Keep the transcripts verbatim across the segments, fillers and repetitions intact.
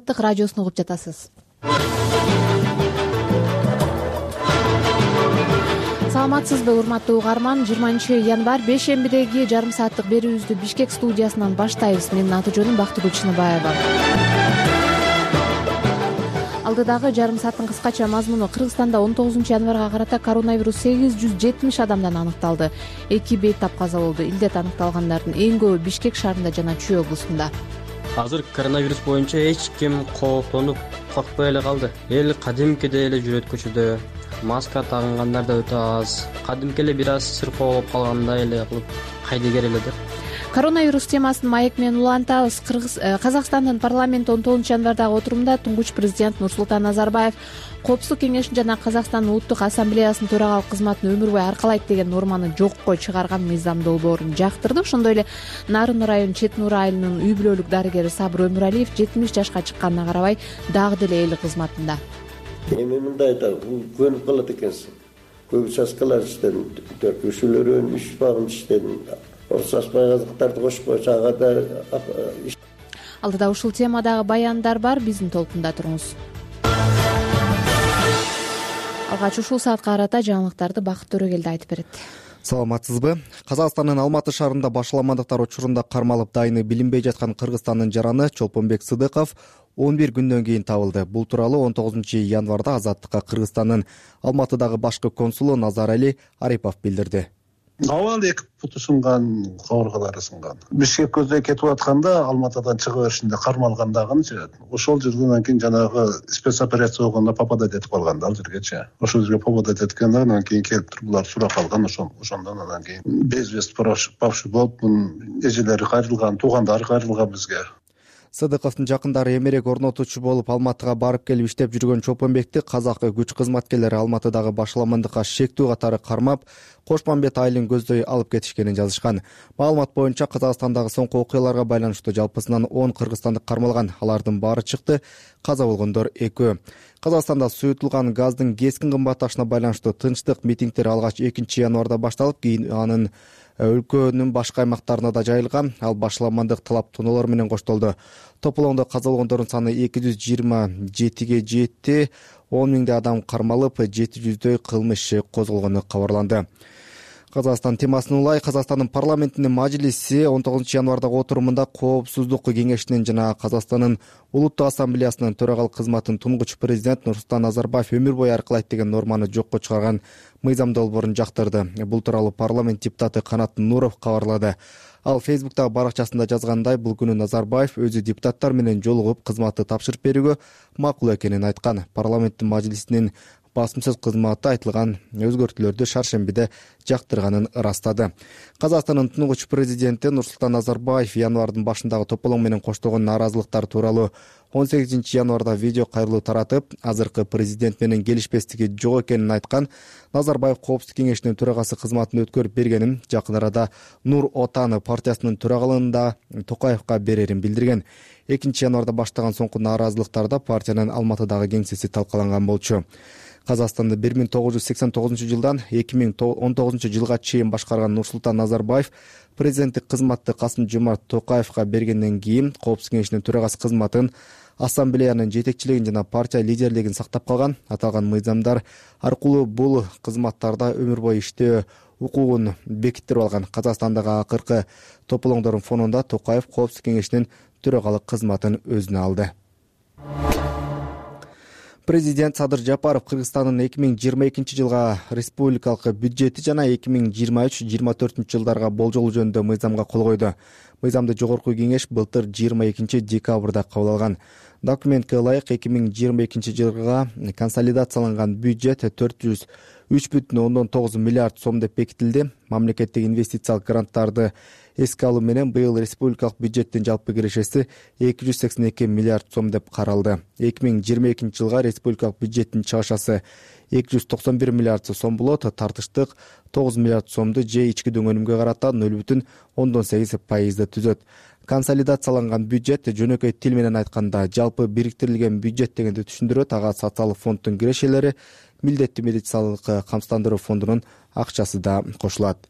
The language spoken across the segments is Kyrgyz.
Радиосун угуп жатасыз. Саламатсызбы, урматтуу угарман? жыйырманчы январь бейшембидеги жарым сааттык берүүбүздү Бишкек студиясынан баштайбыз. Менин аты жөнүм Бактыгүл Чыныбаева. Алдыдагы жарым сааттын кыскача мазмуну: Кыргызстанда он тогузунчу январга карата коронавирус сегиз жүз жетимиш адамдан аныкталды. Эки бейтап каза болду. Илдет аныкталгандардын эң көбү Бишкек шаарында жана Чүй облусунда. Азыр коронавирус боюнча эч ким кооптонуп коркпой эле калды. Эл кадимкидей эле жүрөт көчөдө. Маска тагынгандар да өтө аз. Кадимки эле бир аз сыркоо болуп калгандай эле кылып кайдыгер эле да. Коронавирус темасын маек менен улантабыз. Кыргыз Казакстандын парламенти он тогузунчу январдагы отурумда туңгуч президент Нурсултан Назарбаев Коопсуздук кеңешин жана Казакстандын улуттук ассамблеясынын төрагалык кызматын өмүр бою аркалайт деген норманы жокко чыгарган мыйзам долбоорун жактырды. Ошондой эле Нарын район Чет Нур айылынын үй бүлөлүк дарыгери Сабыр Өмүралиев жетимиш жашка чыкканына карабай дагы деле эл кызматында. Эми мындай да көнүп калат экенсиң. Көп участкалар иштедим, төркүшүүлөрүн, иш багым иштедим. Орсашпай казактарды кошпой чагада. Алдыда ушул темадагы баяндар бар, биздин толкунда туруңуз. Алгач ушул саатка карата жаңылыктарды Бакыт Төрөгелди айтып берет. Саламатсызбы? Казакстандын Алматы шаарында башаламандыктар учурунда кармалып дайыны билинбей жаткан Кыргызстандын жараны Чолпонбек Сыдыков он бир күндөн кийин табылды. Бул тууралуу он тогузунчу январда Азаттыкка Кыргызстандын Алматыдагы башкы консулу Назарали Арипов билдирди. Абал эки буту сынган, кабыргалары сынган. Бишкек көздөй кетип атканда Алматыдан чыга беришинде кармалгандагынчы. Ошол жерден кийин жанагы спецоперация болгондо попадать этип калган ал жергечи. Ошол жерге попадать эткенден кийин келип туруп булар сурап калган. Ошол ошондон анан кийин безвест пропавший болуп, эжелери кайрылган, туугандары кайрылган бизге. Сыдыковдун жакындары эмерек орнотуучу болуп Алматыга барып келип иштеп жүргөн Чолпонбекти казак күч кызматкерлери Алматыдагы башаламандыкка шектүү катары кармап, Кошмамбет айылын көздөй алып кетишкенин жазышкан. Маалымат боюнча Казакстандагы соңку окуяларга байланыштуу жалпысынан он кыргызстандык кармалган. Алардын баары чыкты, каза болгондор экөө. Казакстанда суютулган газдын кескин кымбатташына байланыштуу тынчтык митингдер алгач экинчи январда башталып, кийин анын өлкөнүн башка аймактарына да жайылган. Ал башаламандык талап-тоноолор менен коштолду. Тополоңдо каза болгондордун саны эки жүз жыйырма жетиге жетти. он миңдей адам кармалып, жети жүздөй кылмыш иши козголгону кабарланды. Казакстан темасын улай, Казакстандын парламентинин мажлиси он тогузунчу январдагы отурумунда Коопсуздук кеңешинин жана Казакстандын улуттук ассамблеясынын төрагалык кызматын туңгуч президент Нурсултан Назарбаев өмүр бою аркалайт деген норманы жокко чыгарган мыйзам долбоорун жактырды. Бул тууралуу парламент депутаты Канат Нуров кабарлады. Ал Фейсбуктагы баракчасында жазгандай, бул күнү Назарбаев өзү депутаттар менен жолугуп кызматты тапшырып берүүгө макул экенин айткан. Парламенттин мажлисинин басым сөз кызматы айтылган өзгөртүүлөрдү шаршембиде жактырганын ырастады. Казакстандын туңгуч президенти Нурсултан Назарбаев январдын башындагы тополоң менен коштолгон нааразылыктар тууралуу он сегизинчи январда видео кайрылуу таратып, азыркы президент менен келишпестиги жок экенин айткан. Назарбаев Коопсуздук кеңешинин төрагасы кызматын өткөрүп бергенин, жакын арада Нур Отан партиясынын төрагалыгын да Токаевка берерин билдирген. экинчи январда баштаган соңку нааразылыктарда партиянын Алматыдагы кеңсеси талкаланган болчу. Казакстанды бир миң тогуз жүз сексен тогузунчу жылдан эки миң он тогузунчу жылга чейин башкарган Нурсултан Назарбаев президенттик кызматты Касым-Жомарт Токаевка бергенден кийин Коопсуздук кеңешинин төрагасы кызматын, ассамблеянын жетекчилигин жана партия лидерлигин сактап калган. Аталган мыйзамдар аркылуу бул кызматтарда өмүр бою иштөө укугун бекиттирип алган. Казакстандагы акыркы тополоңдордун фонунда Токаев Коопсуздук кеңешинин төрагалык кызматын өзүнө алды. Президент Садыр Жапаров Кыргызстандын эки миң жыйырма экинчи жылга республикалык бюджети жана эки миң жыйырма үч жыйырма төртүнчү жылдарга болжол жөнүндө мыйзамга кол койду. Мыйзамды жогорку кеңеш былтыр жыйырма экинчи декабрда кабыл алган. Документке ылайык эки миң жыйырма экинчи жылга консолидацияланган бюджет төрт жүз үч бүтүн ондон тогуз миллиард сом деп бекитилди. Мамлекеттик инвестициялык гранттарды эске алуу менен быйыл республикалык бюджеттин жалпы кирешеси эки жүз сексен эки миллиард сом деп каралды. эки миң жыйырма экинчи жылга республикалык бюджеттин чыгышасы эки жүз токсон бир миллиард сом болот. Тартыштык тогуз миллиард сомду же ички дөңгөнүмгө карата нөл бүтүн ондон сегиз пайызды түзөт. Консолидацияланган бюджет жөнөкөй тил менен айтканда жалпы бириктирилген бюджет дегенди түшүндүрөт. Ага социалдык фонддун кирешелери, милдеттүү медициналык камсыздандыруу фондунун акчасы да кошулат.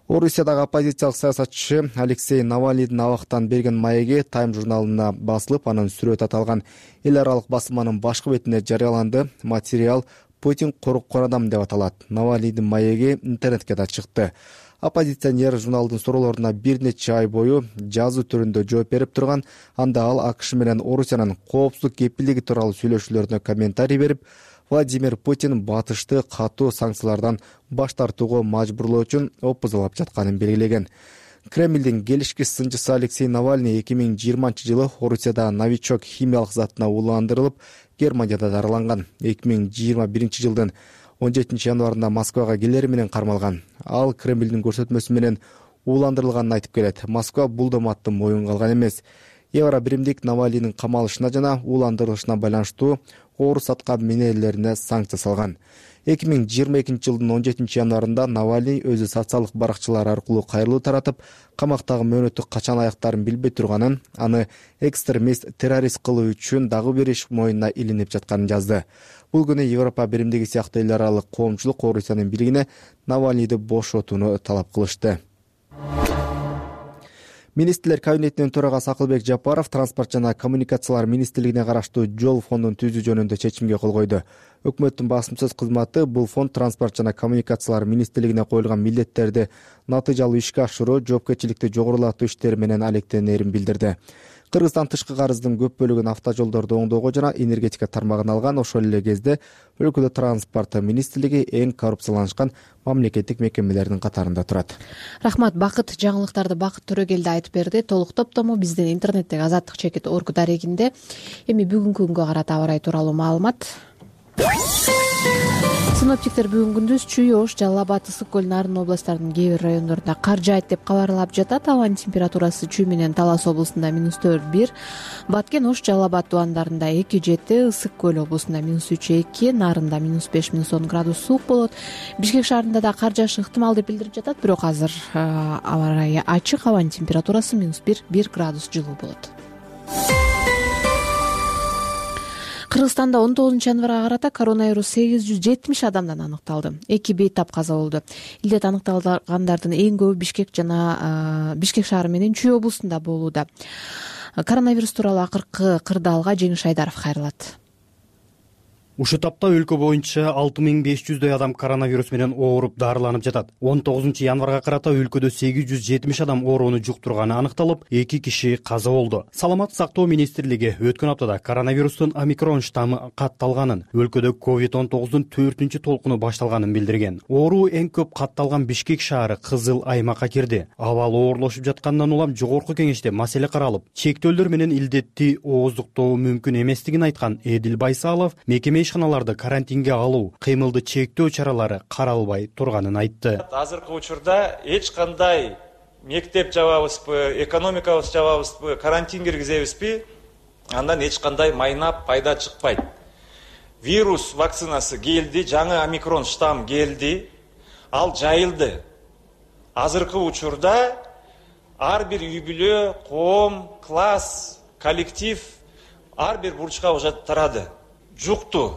Орусиядагы оппозициялык саясатчы Алексей Навальныйдын абактан берген маеги Time журналына басылып, анын сүрөтү аталган эл аралык басылманын башкы бетине жарыяланды. Материал «Путин коруккан адам» деп аталат. Навальныйдын маеги интернетке да чыкты. Оппозиционер журналдын суроолоруна бир нече ай бою жазуу түрүндө жооп берип турган. Анда ал АКШ менен Орусиянын коопсуздук кепилдиги тууралуу сүйлөшүүлөрүнө комментарий берип, Владимир Путин батышты катуу санкциялардан баш тартууга мажбурлоо үчүн опузалап жатканын белгилеген. Кремлдин келишкис сынчысы Алексей Навальный эки миң жыйырманчы жылы Орусияда новичок химиялык затына ууландырылып, Германияда дарыланган. эки миң жыйырма биринчи жылдын он жетинчи январында Москвага келери менен кармалган. Ал Кремлдин көрсөтмөсү менен ууландырылганын айтып келет. Москва бул доматты моюнга алган эмес. Евро биримдик Навальныйдын камалышына жана ууландырылышына байланыштуу орус саткан минелерине санкция салган. эки миң жыйырма экинчи жылдын он жетинчи январында Навальный өзү социалдык баракчалар аркылуу кайрылуу таратып, камактагы мөөнөтү качан аяктарын билбей турганын, аны экстремист, террорист кылуу үчүн дагы бир иш мойнуна илинип жатканын жазды. Бул күнү Европа биримдиги сыяктуу эл аралык коомчулук Орусиянын бийлигине Навальныйды бошотууну талап кылышты. Министрлер кабинетинин төрагасы Акылбек Жапаров транспорт жана коммуникациялар министрлигине караштуу жол фондун түзүү жөнүндө чечимге кол койду. Өкмөттүн басым сөз кызматы бул фонд транспорт жана коммуникациялар министрлигине коюлган милдеттерди натыйжалуу ишке ашыруу, жоопкерчиликти жогорулатуу иштери менен алектенерин билдирди. Кыргызстан тышкы карыздын көп бөлүгүн автожолдорду оңдоого жана энергетика тармагына алган. Ошол эле кезде өлкөдө транспорт министрлиги эң коррупцияланышкан мамлекеттик мекемелердин катарында турат. Рахмат. Бакыт жаңылыктарды Бакыт Төрөгелди айтып берди. Толук топтому биздин интернеттеги Азаттык чекит орг дарегинде. Эми бүгүнкү күнгө карата аба ырайы тууралуу маалымат. Синоптиктер бүгүн күндүз Чүй, Ош, Жалал Абад, Ысык көл, Нарын областтарынын кээ бир райондорунда кар жаайт деп кабарлап жатат. Абанын температурасы Чүй менен Талас облусунда минус төрт бир, Баткен, Ош, Жалал Абад тубандарында эки жети, Ысык көл облусунда минус үч эки, Нарында минус беш минус он градус суук болот. Бишкек шаарында да кар жаашы ыктымал деп билдирип жатат, бирок азыр аба ырайы ачык, абанын температурасы минус бир бир градус жылуу болот. Кыргызстанда он тогузунчу январга карата коронавирус сегиз жүз жетимиш адамдан аныкталды. Эки бейтап каза болду. Илдет аныкталгандардын эң көбү Бишкек жана Бишкек шаары менен Чүй облусунда болууда. Коронавирус тууралуу акыркы кырдаалга Жеңиш Айдаров кайрылат. Ушул тапта өлкө боюнча алты миң беш жүздөй адам коронавирус менен ооруп дарыланып жатат. он тогузунчу январга карата өлкөдө сегиз жүз жетимиш адам оорууну жуктурганы аныкталып, эки киши каза болду. Саламаттык сактоо министрлиги өткөн аптада коронавирустун омикрон штаммы катталганын, өлкөдө ковид он тогуздун төртүнчү толкуну башталганын билдирген. Ооруу эң көп катталган Бишкек шаары кызыл аймакка кирди. Абал оорлошуп жаткандан улам жогорку кеңеште маселе каралып, чектөөлөр менен илдетти ооздуктоо мүмкүн эместигин айткан Эдил Байсалов мекеме ишканаларды карантинге алуу, кыймылды чектөө чаралары каралбай турганын айтты. Азыркы учурда эч кандай мектеп жабабызбы, экономикабыз жабабызбы, карантин киргизебизби, андан эч кандай майнап пайда чыкпайт. Вирус вакцинасы келди, жаңы омикрон штамм келди, ал жайылды. Азыркы учурда ар бир үй бүлө, коом, класс, коллектив ар бир бурчка уже тарады. Жукту.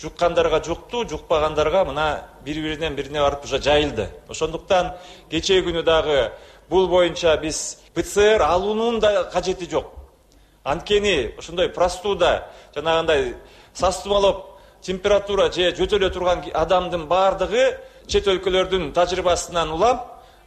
Жуккандарга жукту, жукпагандарга мына бири-биринен бирине барып уже жайылды. Ошондуктан кечээ күнү дагы бул боюнча биз ПЦР алуунун да кажети жок. Анткени ошондой простуда, жанагындай састымалоп температура же жөтөлө турган адамдын баардыгы чет өлкөлөрдүн тажрыйбасынан улам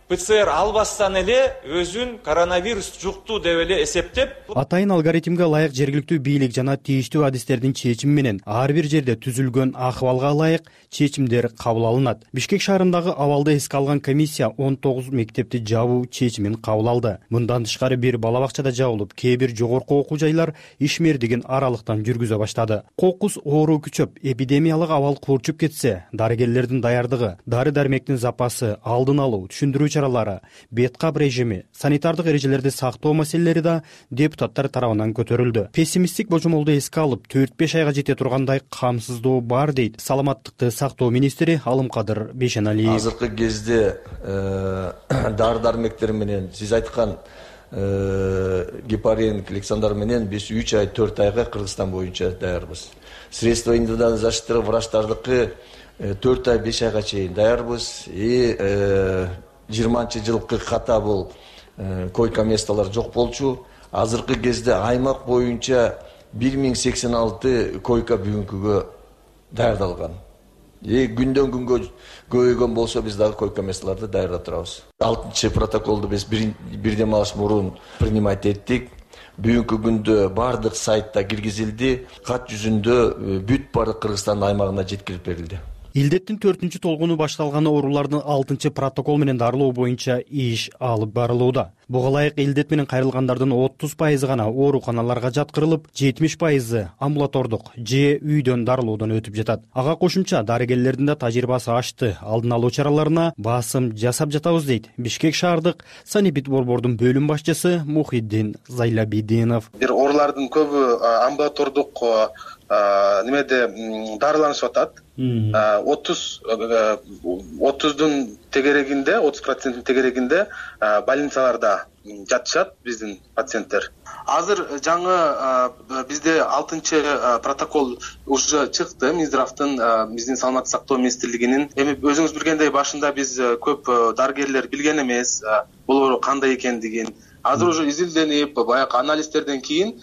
ПЦР албастан эле өзүн коронавирус жукту деп эле эсептеп, атайын алгоритмге ылайык жергиликтүү бийлик жана тийиштүү адистердин чечими менен ар бир жерде түзүлгөн акыбалга ылайык чечимдер кабыл алынат. Бишкек шаарындагы абалды эске алган комиссия он тогуз мектепти жабуу чечимин кабыл алды. Мындан тышкары бир бала бакчада жабылып, кээ бир жогорку окуу жайлар ишмердигин аралыктан жүргүзө баштады. Кокус оору күчөп, эпидемиялык абал курчуп кетсе, дарыгерлердин даярдыгы, дары-дармектин запасы, алдын алуу, түшүндүрүү чаралары, беткап режими, санитардык эрежелерди сактоо маселелери да депутаттар тарабынан көтөрүлдү. Пессимисттик божомолду эске алып, төрт беш айга жете тургандай камсыздоо бар дейт саламаттыкты сактоо министри Алымкадыр Бейшеналиев. Азыркы кезде дары-дармектер менен сиз айткан гепарин, клександар менен биз үч ай, төрт айга Кыргызстан боюнча даярбыз. Средства индивидуальной защиты врачтардыкы төрт ай, беш айга чейин даярбыз. И жыйырманчы жылкы ката бул койка месталар жок болчу. Азыркы кезде аймак боюнча бир миң сексен алты койка бүгүнкүгө даярдалган. И күндөн күнгө көбөйгөн болсо биз дагы койка месталарды даярдап турабыз. алтынчы протоколду биз бир дем алыш мурун принимать эттик. Бүгүнкү күндө бардык сайтта киргизилди. Кат жүзүндө бүт баардык Кыргызстандын аймагына жеткирип берилди. Илдеттин төртүнчү толкуну башталганы оорулардын алтынчы протокол менен дарылоо боюнча иш алып барылууда. Буга ылайык илдет менен кайрылгандардын отуз пайызы гана ооруканаларга жаткырылып, жетимиш пайызы амбулатордук же үйдөн дарылоодон өтүп жатат. Ага кошумча дарыгерлердин да тажрыйбасы ашты. Алдын алуу чараларына басым жасап жатабыз дейт Бишкек шаардык санэпид борбордун бөлүм башчысы Мухиддин Зайлабидинов. Бир оорулардын көбү амбулатордук немеде дарыланышып атат. отуз отуздун тегерегинде, отуз проценттин тегерегинде больницаларда жатышат биздин пациенттер. Азыр жаңы бизде алтынчы протокол уже чыкты Минздравдын, биздин саламаттык сактоо министрлигинин. Эми өзүңүз билгендей башында биз көп дарыгерлер билген эмес бул оору кандай экендигин. Азыр уже изилденип, баягы анализдерден кийин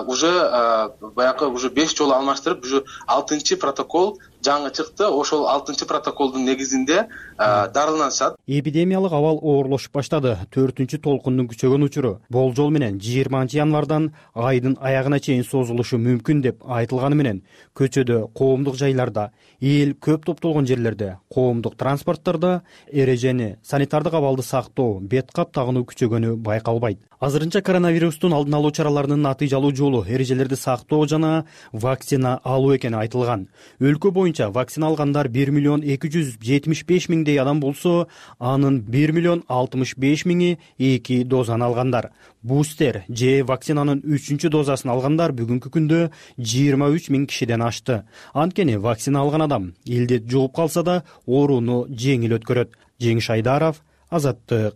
уже баягы уже беш жолу алмаштырып, уже алтынчы протокол жаңы чыкты. Ошол алтынчы протоколдун негизинде дарыланышат. Эпидемиялык абал оорлошуп баштады. төртүнчү толкундун күчөгөн учуру болжол менен жыйырманчы январдан айдын аягына чейин созулушу мүмкүн деп айтылганы менен көчөдө, коомдук жайларда, эл көп топтолгон жерлерде, коомдук транспорттарда эрежени, санитардык абалды сактоо, бет кап тагынуу күчөгөнү байкалбайт. Азырынча коронавирустун алдын алуу чараларынын натыйжалуу жолу эрежелерди сактоо жана вакцина алуу экени айтылган. Өлкө боюнча вакцина алгандар бир миллион эки жүз жетимиш беш миңдей адам болсо, анын бир миллион алтымыш беш миңи эки дозаны алгандар. Бустер же вакцинанын үчүнчү дозасын алгандар бүгүнкү күндө жыйырма үч миң кишиден ашты. Анткени вакцина алган адам илдет жугуп калса да ооруну жеңил өткөрөт. Жеңиш Айдаров, Азаттык,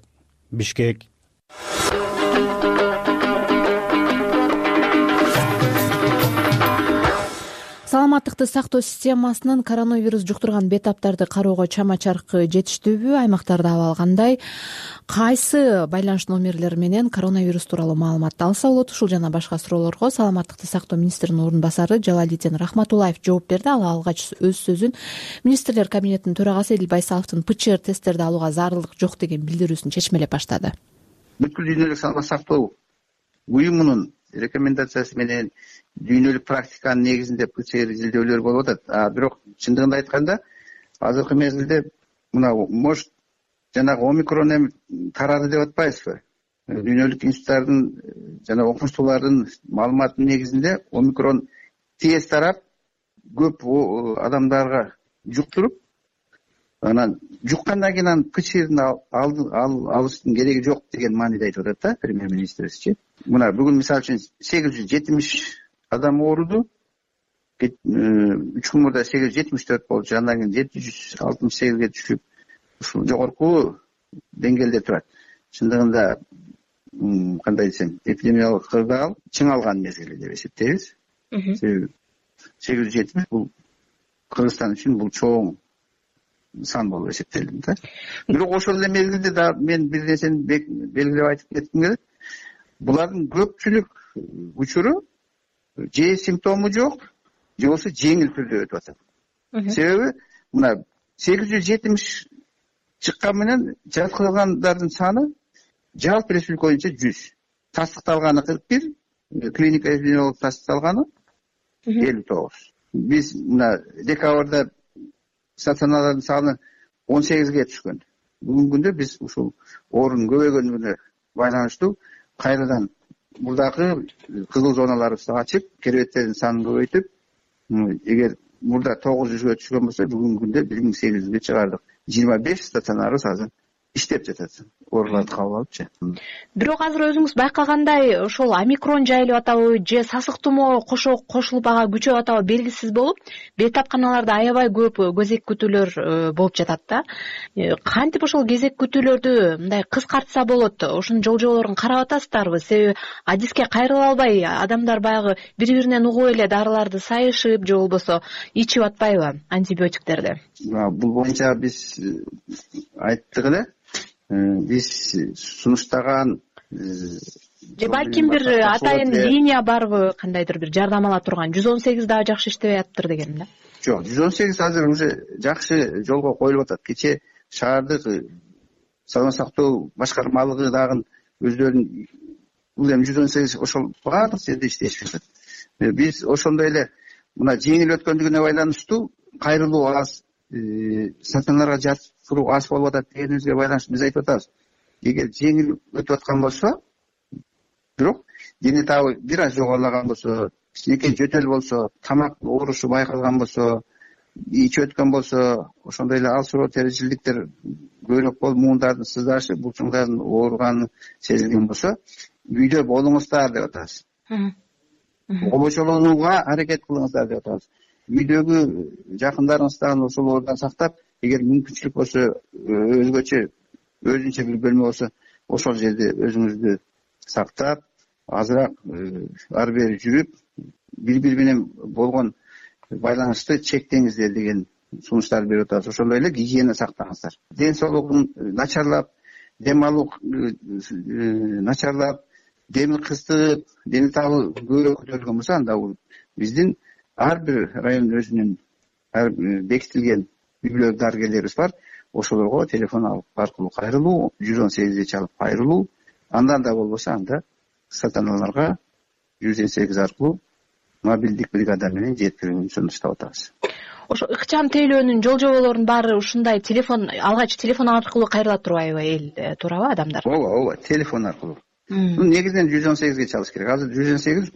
Бишкек. Саламаттыкты сактоо системасынын коронавирус жуктурган бетаптарды кароого чама-чаркы жетиштүүбү? Аймактарда абал кандай? Кайсы байланыш номерлери менен коронавирус тууралуу маалымат алса болот? Ушул жана башка суроолорго саламаттыкты сактоо министринин орун басары Жалалидин Рахматуллаев жооп берди. Ал алгач өз сөзүн министрлер кабинетинин төрагасы Эдил Байсаловдун ПЧР тесттерди алууга зарылдык жок деген билдирүүсүн чечмелеп баштады. Бүткүл дүйнөлүк саламаттык сактоо уюмунун рекомендациясы менен дүйнөлүк практиканын негизинде ПЧР изилдөөлөр болуп атат. А бирок чындыгында айтканда азыркы мезгилде мына может жанагы омикрон эми тарады деп атпайбызбы? Дүйнөлүк институттардын жана окумуштуулардын маалыматынын негизинде омикрон тез тарап көп адамдарга жуктуруп, анан жуккандан кийин анын ПЧРин алыштын кереги жок деген мааниде айтып атат да премьер-министрибизчи. Мына бүгүн мисалы үчүн сегиз жүз жетимиш адам ооруду. үч күн мурда сегиз жүз жетимиш төрт болчу, андан кийин жети жүз алтымыш сегизге түшүп, ушул жогорку деңгээлде турат. Чындыгында кандай десем, эпидемиялык кырдаал чыңалган мезгили деп эсептейбиз. Себеби сегиз жүз жетимиш бул Кыргызстан үчүн бул чоң сан болуп эсептелди да. Бирок ошол эле мезгилде да мен бир нерсени белгилеп айтып кетким келет. Булардын көпчүлүк учуру же симптому жок, же болбосо жеңил түрдө өтүп атат. Себеби мына сегиз жүз жетимиш чыккан менен жаткырылгандардын саны жалпы республика боюнча жүз. Тастыкталганы кырк бир, клиника эпидемиологдук тастыкталганы элүү тогуз. Биз мына декабрда стационарлардын саны он сегизге түшкөн. Бүгүнкү күндө биз ушул оорунун көбөйгөнүнө байланыштуу кайрадан мурдакы кызыл зоналарыбызды ачып, керебеттердин санын көбөйтүп, эгер мурда тогуз жүзгө түшкөн болсо, бүгүнкү күндө бир миң сегиз жүзгө чыгардык. жыйырма беш стационарыбыз азыр иштеп жатат. Ооруларды кабыл алыпчы. Бирок азыр өзүңүз байкагандай, ошол омикрон жайылып атабы же сасык тумоо кошо кошулуп ага күчөп атабы белгисиз болуп, бейтапканаларда аябай көп кезек күтүүлөр болуп жатат да. Кантип ошол кезек күтүүлөрдү мындай кыскартса болот? Ошонун жол жоболорун карап атасыздарбы? Себеби адиске кайрыла албай, адамдар баягы бири-биринен угуп эле дарыларды сайышып, же болбосо ичип атпайбы антибиотиктерди? Бул боюнча биз айттык эле. биз сунуштаган же балким бир атайын линия барбы, кандайдыр бир жардам ала турган? жүз он сегиз дагы жакшы иштебей атыптыр дегеним да. Жок, жүз он сегиз азыр уже жакшы жолго коюлуп атат. Кече шаардык саламат сактоо башкармалыгы дагы өздөрүнүн бул эми жүз он сегиз ошол баардык жерде иштешип жатат. Биз ошондой эле мына жеңил өткөндүгүнө байланыштуу кайрылуу аз, стационарга жатыруу аз болуп атат дегенибизге байланыштуу биз айтып атабыз. Эгер жеңил өтүп аткан болсо, бирок дене табы бир аз жогорлаган болсо, кичинекей жөтөл болсо, тамак оорушу байкалган болсо, ичип өткөн болсо, ошондой эле алсыроо терезиликтер көбүрөөк болуп, муундардын сыздашы, булчуңдардын ооруганы сезилген болсо, үйдө болуңуздар деп атабыз. Обочолонууга аракет кылыңыздар деп атабыз. Үйдөгү жакындарыңыздан ошол оордан сактап, эгер мүмкүнчүлүк болсо, өзгөчө өзүнчө бир бөлмө болсо, ошол жерде өзүңүздү сактап, азыраак ары бери жүрүп, бири-бири менен болгон байланышты чектеңиздер деген сунуштар берип атабыз. Ошондой эле гигиена сактаңыздар. Ден соолугун начарлап, дем алуу начарлап, деми кыстыгып, дене табы көбүрөөк көтөрүлгөн болсо, анда бул биздин ар бир район өзүнүн бекитилген үй-бүлө дарыгерлерибиз бар. Ошолорго телефон аркылуу кайрылуу, жүз он сегизди чалып кайрылуу, андан да болбосо анда стационарларга жүз он сегиз аркылуу мобилдик бригада менен жеткирүүнү сунуштап атабыз. Ошо ыкчам тейлөөнүн жол жоболорунун баары ушундай телефон алгач телефон аркылуу кайрыла турбайбы эл, туурабы адамдар? Ооба, ооба, телефон аркылуу. Бул негизинен жүз он сегизге чалыш керек. Азыр жүз он сегиз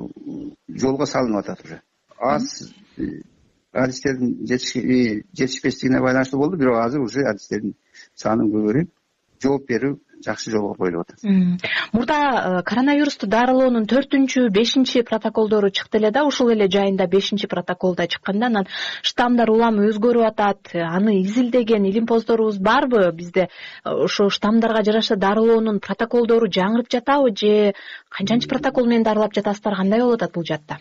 жолго салынып атат уже. Аз адистердин жетишпештигине байланыштуу болду, бирок азыр уже адистердин саны көбөйүп, жооп берүү жакшы жолго коюлуп атат. Мурда коронавирусту дарылоонун төртүнчү, бешинчи протоколдору чыкты эле да, ушул эле жайында бешинчи протоколда чыкканда, анан штаммдар улам өзгөрүп атат. Аны изилдеген илимпоздорубуз барбы? Бизде ошо штаммдарга жараша дарылоонун протоколдору жаңырып жатабы же канчанчы протокол менен дарылап жатасыздар? Кандай болуп атат бул жакта?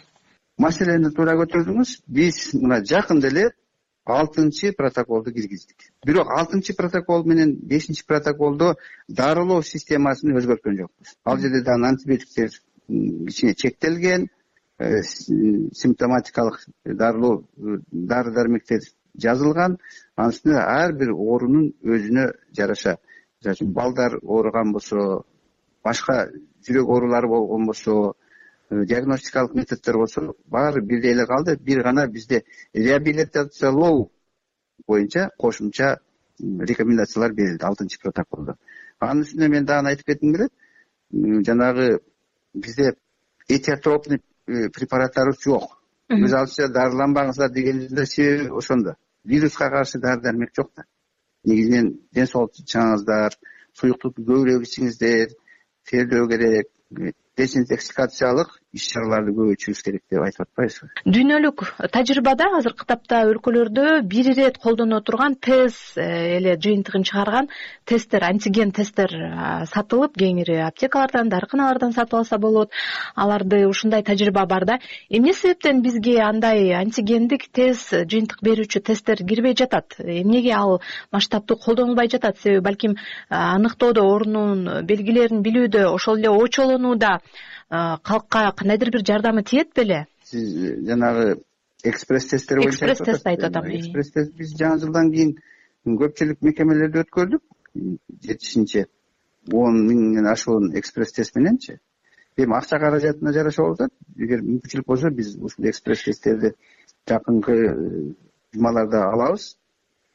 Маселени туура көтөрдүңүз. Биз мына жакында эле алтынчы протоколду киргиздик. Бирок алтынчы протокол менен бешинчи протоколдо дарылоо системасын өзгөрткөн жокпуз. Ал жерде да антибиотиктер кичине чектелген, симптоматикалык дарылоо дары-дармектер жазылган. Анын үстүнө ар бир оорунун өзүнө жараша, балдар ооруган болсо, башка жүрөк оорулары болгон болсо, диагностикалык методдор болсо, баары бирдей эле калды. Бир гана бизде реабилитациялоо боюнча кошумча рекомендациялар берилди алтынчы протоколдо. Анын үстүнө мен дагы айтып кетким келет. Жанагы бизде этиотропный препараттарыбыз жок. Өз алдынча дарыланбаңыздар дегенибиздин себеби ошондо. Вируска каршы дары-дармек жок да. Негизинен ден соолукту чаңыңыздар, суюктукту көбүрөөк ичиңиздер, тердөө керек, дезинтоксикациялык иш-чараларды көбөйтүшүбүз керек деп айтып атпайбызбы? Дүйнөлүк тажрыйбада азыркы тапта өлкөлөрдө бир ирет колдоно турган тест эле жыйынтыгын чыгарган тесттер, антиген тесттер сатылып, кеңири аптекалардан, дарыканалардан сатып алса болот. Аларды ушундай тажрыйба бар да. Эмне себептен бизге андай антигендик тест, жыйынтык берүүчү тесттер кирбей жатат? Эмнеге ал масштабтуу колдонулбай жатат? Себеби балким аныктоодо, оорунун белгилерин билүүдө, ошол эле очолонууда калкка кандайдыр бир жардамы тиет беле? Сиз жанагы экспресс тесттер боюнча экспресс тест айтып атам. Экспресс тест биз жаңы жылдан кийин көпчүлүк мекемелерде өткөрдүк. жетишинчи он миңден ашуун экспресс тест мененчи. Эми акча каражатына жараша болуп атат. Эгер мүмкүнчүлүк болсо биз ушул экспресс тесттерди жакынкы жумаларда алабыз.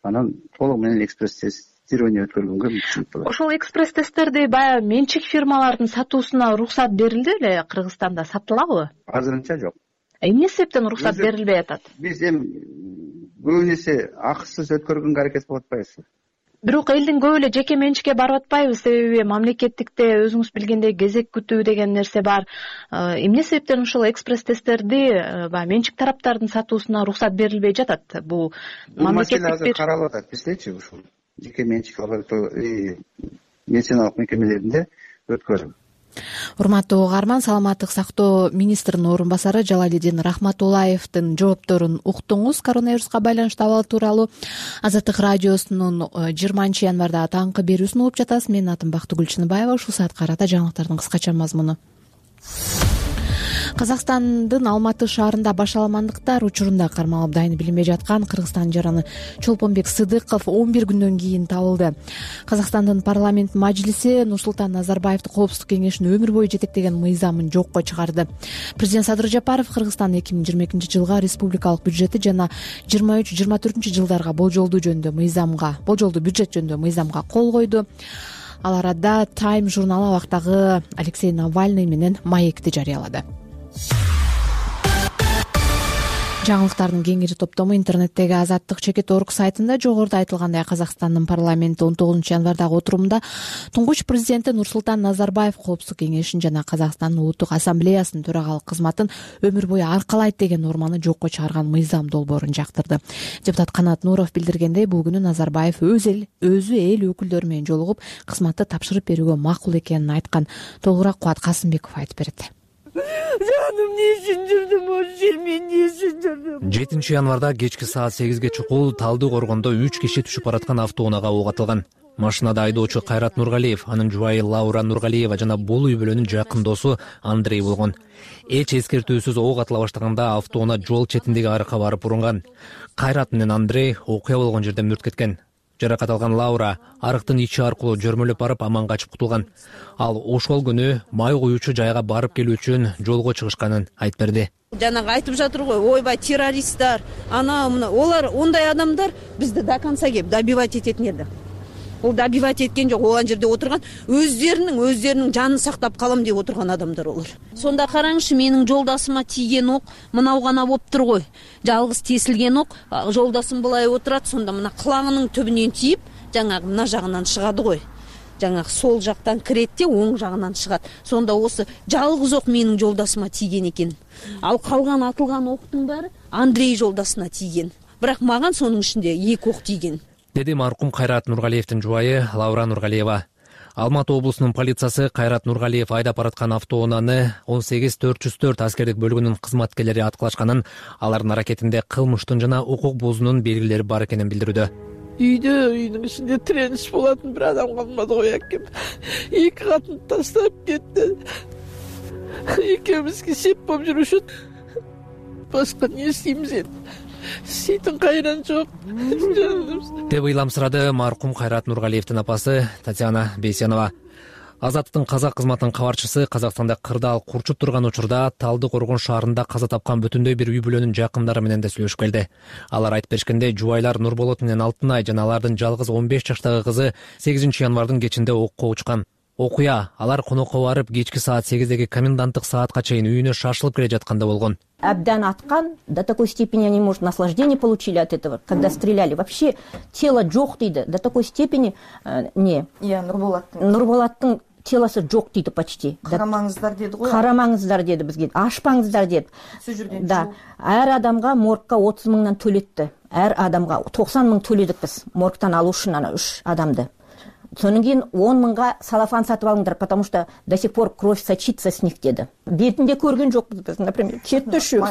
Анан толук менен экспресс тест өткөргөнгө мүмкүнчүлүк болот. Ошол экспресс тесттерди баягы менчик фирмалардын сатуусуна уруксат берилди беле? Кыргызстанда сатылабы? Азырынча жок. Эмне себептен уруксат берилбей атат? Биз эми көбү нерсе акысыз өткөргөнгө аракет кылып атпайбызбы? Бирок элдин көп эле жеке менчикке барып атпайбы? Себеби мамлекеттикте өзүңүз билгендей кезек күтүү деген нерсе бар. Эмне себептен ушул экспресс тесттерди баягы менчик тараптардын сатуусуна уруксат берилбей жатат? Бул мамлекеттик бир каралып атат биздечи ушул жеке менчик лаборатория медициналык мекемелеринде өткөрүп. Урматтуу угарман, саламаттык сактоо министринин орун басары Жалалидин Рахматуллаевдин жоопторун уктуңуз. Коронавируска байланыштуу абал тууралуу Азаттык радиосунун жыйырманчы январда таңкы берүүсүн угуп жатасыз. Менин атым Бактыгүл Чыныбаева. Ушул саатка карата жаңылыктардын кыскача мазмуну. Казакстандын Алматы шаарында башаламандыктар учурунда кармалып дайын билинбей жаткан Кыргызстан жараны Чолпонбек Сыдыков он бир күндөн кийин табылды. Казакстандын парламент мажлиси Нурсултан Назарбаевди Коопсуздук кеңешинин өмүр бою жетектеген мыйзамын жокко чыгарды. Президент Садыр Жапаров Кыргызстандын эки миң жыйырма экинчи жылга республикалык бюджети жана жыйырма үч жыйырма төртүнчү жылдарга болжолдуу жөнүндө мыйзамга, болжолдуу бюджет жөнүндө мыйзамга кол койду. Ал арада Time журналы абактагы Алексей Навальный менен маекти жарыялады. Жаңылыктардын кеңири топтому интернеттеги Азаттык чекит точка орг сайтында жогоруда айтылгандай Казакстандын парламенти он тогузунчу январдагы отурумда туңгуч президенти Нурсултан Назарбаев Коопсуздук кеңешин жана Казакстандын улуттук ассамблеясынын төрагалык кызматын өмүр бою аркалайт деген норманы жокко чыгарган мыйзам долбоорун жактырды. Депутат Канат Нуров билдиргендей, бул күнү Назарбаев өз эл өзү эл өкүлдөрү менен жолугуп кызматты тапшырып берүүгө макул экенин айткан. Толугураак Кубат Касымбеков айтып берет. Жаным эмне үчүн жүрдүм, ошол жер мен эмне үчүн жүрдүм? жетинчи январда кечки саат сегизге чукул Талды коргондо үч киши түшүп бараткан автоунаага ок атылган. Машинада айдоочу Кайрат Нургалиев, анын жубайы Лаура Нургалиева жана бул үй бүлөнүн жакын досу Андрей болгон. Эч эскертүүсүз ок атыла баштаганда автоунаа жол четиндеги арыкка барып урунган. Кайрат менен Андрей окуя болгон жерде мүрт кеткен. Жаракат алган Лаура арыктын ичи аркылуу жөрмөлөп барып аман качып кутулган. Ал ошол күнү май куюучу жайга барып келүү үчүн жолго чыгышканын айтып берди. Жанагы айтып жатыр го, ойбай террористтер, ана мына олар ондай адамдар бизди до конца кеп добивать этетін еді. Ол добивать эткен жок, ол жерде отурган өздеринин өздеринин жанын сактап калам деп отурган адамдар олар. Сонда караңызчы, менин жолдасыма тийген ок мынау гана болуптур го. Жалгыз тесилген ок, жолдасым былай отурат, сонда мына кылаңынын түбүнөн тийип, жаңагы мына жагынан чыгады го. Жаңагы сол жактан киретти, оң жагынан чыгат. Сонда осы жалгыз ок менин жолдасыма тийген экен. Ал калган атылган октун баары Андрей жолдасына тийген. Бирок маган сонун ичинде эки ок тийген. Деди маркум Кайрат Нургалиевдин жубайы Лаура Нургалиева. Алматы облусунун полициясы Кайрат Нургалиев айдап бараткан автоунааны он сегиз төрт жүз төрт аскердик бөлүгүнүн кызматкерлери аткылашканын, алардын аракетинде кылмыштын жана укук бузуунун белгилери бар экенин билдирүүдө. Үйдө үйдүн ичинде тиреніш болатын бир адам калмады го экем. Эки катын таштап кетти. Экөөбүзгө сеп болуп жүрүшөт. Башка эмне эстейбиз эndi? Ситин кайран жок. Деп ыйламсырады маркум Кайрат Нургалиевдин апасы Татьяна Бейсенова. Азаттыктын казак кызматынын кабарчысы Казакстанда кырдаал курчуп турган учурда Талды коргон шаарында каза тапкан бүтүндөй бир үй бүлөнүн жакындары менен да сүйлөшүп келди. Алар айтып беришкендей, жубайлар Нурболот менен Алтынай жана алардын жалгыз он беш жаштагы кызы сегизинчи январдын кечинде окко учкан. Окуя алар конокко барып кечки саат сегиздеги коменданттык саатка чейин үйүнө шашылып келе жатканда болгон. Абдан аткан, до такой степени они, может, наслаждение получили от этого, когда стреляли. Вообще тело жок дейді, до такой степени э, не. Я Нурболаттың. Нурболаттың телосы жок дейді почти. Карамаңыздар деді ғой. Карамаңыздар деді бізге. Ашпаңыздар деді. Да. Әр адамға моргка отуз мыңнан төлетті. Әр адамға токсон мың төледік біз моргтан алу үшін ана үч адамды. Сонан кейін он мыңга салафан сатып алыңдар, потому что до сих пор кровь сочится с них деді. Бетінде көрген жоқпыз біз, например, кетті үшеу.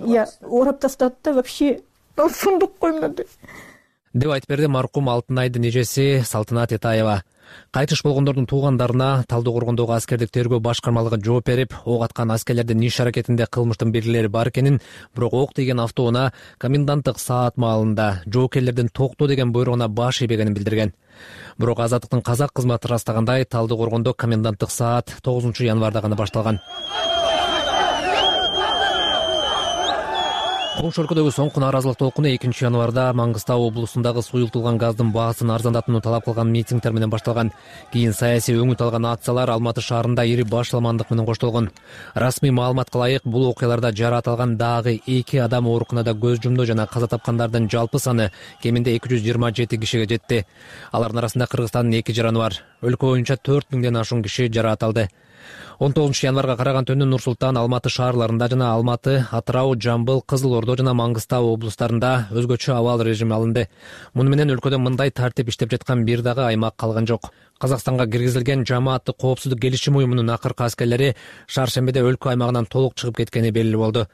Я орап тастады да вообще сундук коймады. Деп айтып берди маркум Алтынайдын эжеси Салтанат Этаева. Кайтыш болгондордун туугандарына Талды коргондогу аскердик тергөө башкармалыгы жооп берип, ок аткан аскерлердин иш аракетинде кылмыштын белгилери бар экенин, бирок ок тийген автоунаа коменданттык саат маалында жоокерлердин токто деген буйругуна баш ийбегенин билдирген. Бирок Азаттыктын казак кызматы ырастагандай, Талды коргондо коменданттык саат тогузунчу январда гана башталган. Коңшу өлкөдөгү соңку нааразылык толкуну экинчи январда Маңгыстау облусундагы суюлтулган газдын баасын арзандатууну талап кылган митингдер менен башталган. Кийин саясий өңүт алган акциялар Алматы шаарында ири башаламандык менен коштолгон. Расмий маалыматка ылайык, бул окуяларда жараат алган дагы эки адам ооруканада көз жумду жана каза тапкандардын жалпы саны кеминде эки жүз жыйырма жети кишиге жетти. Алардын арасында Кыргызстандын эки жараны бар. Өлкө боюнча төрт миңден ашуун киши жараат алды. он тогузунчу январга караган түнү Нур Султан, Алматы шаарларында жана Алматы, Атырау, Жамбыл, Кызыл Ордо жана Маңгыстау облустарында өзгөчө абал режими алынды. Муну менен өлкөдө мындай тартип иштеп жаткан бир дагы аймак калган жок. Казакстанга киргизилген жамааттык коопсуздук келишим уюмунун акыркы аскерлери шаршембиде өлкө аймагынан толук чыгып кеткени белгилүү болду.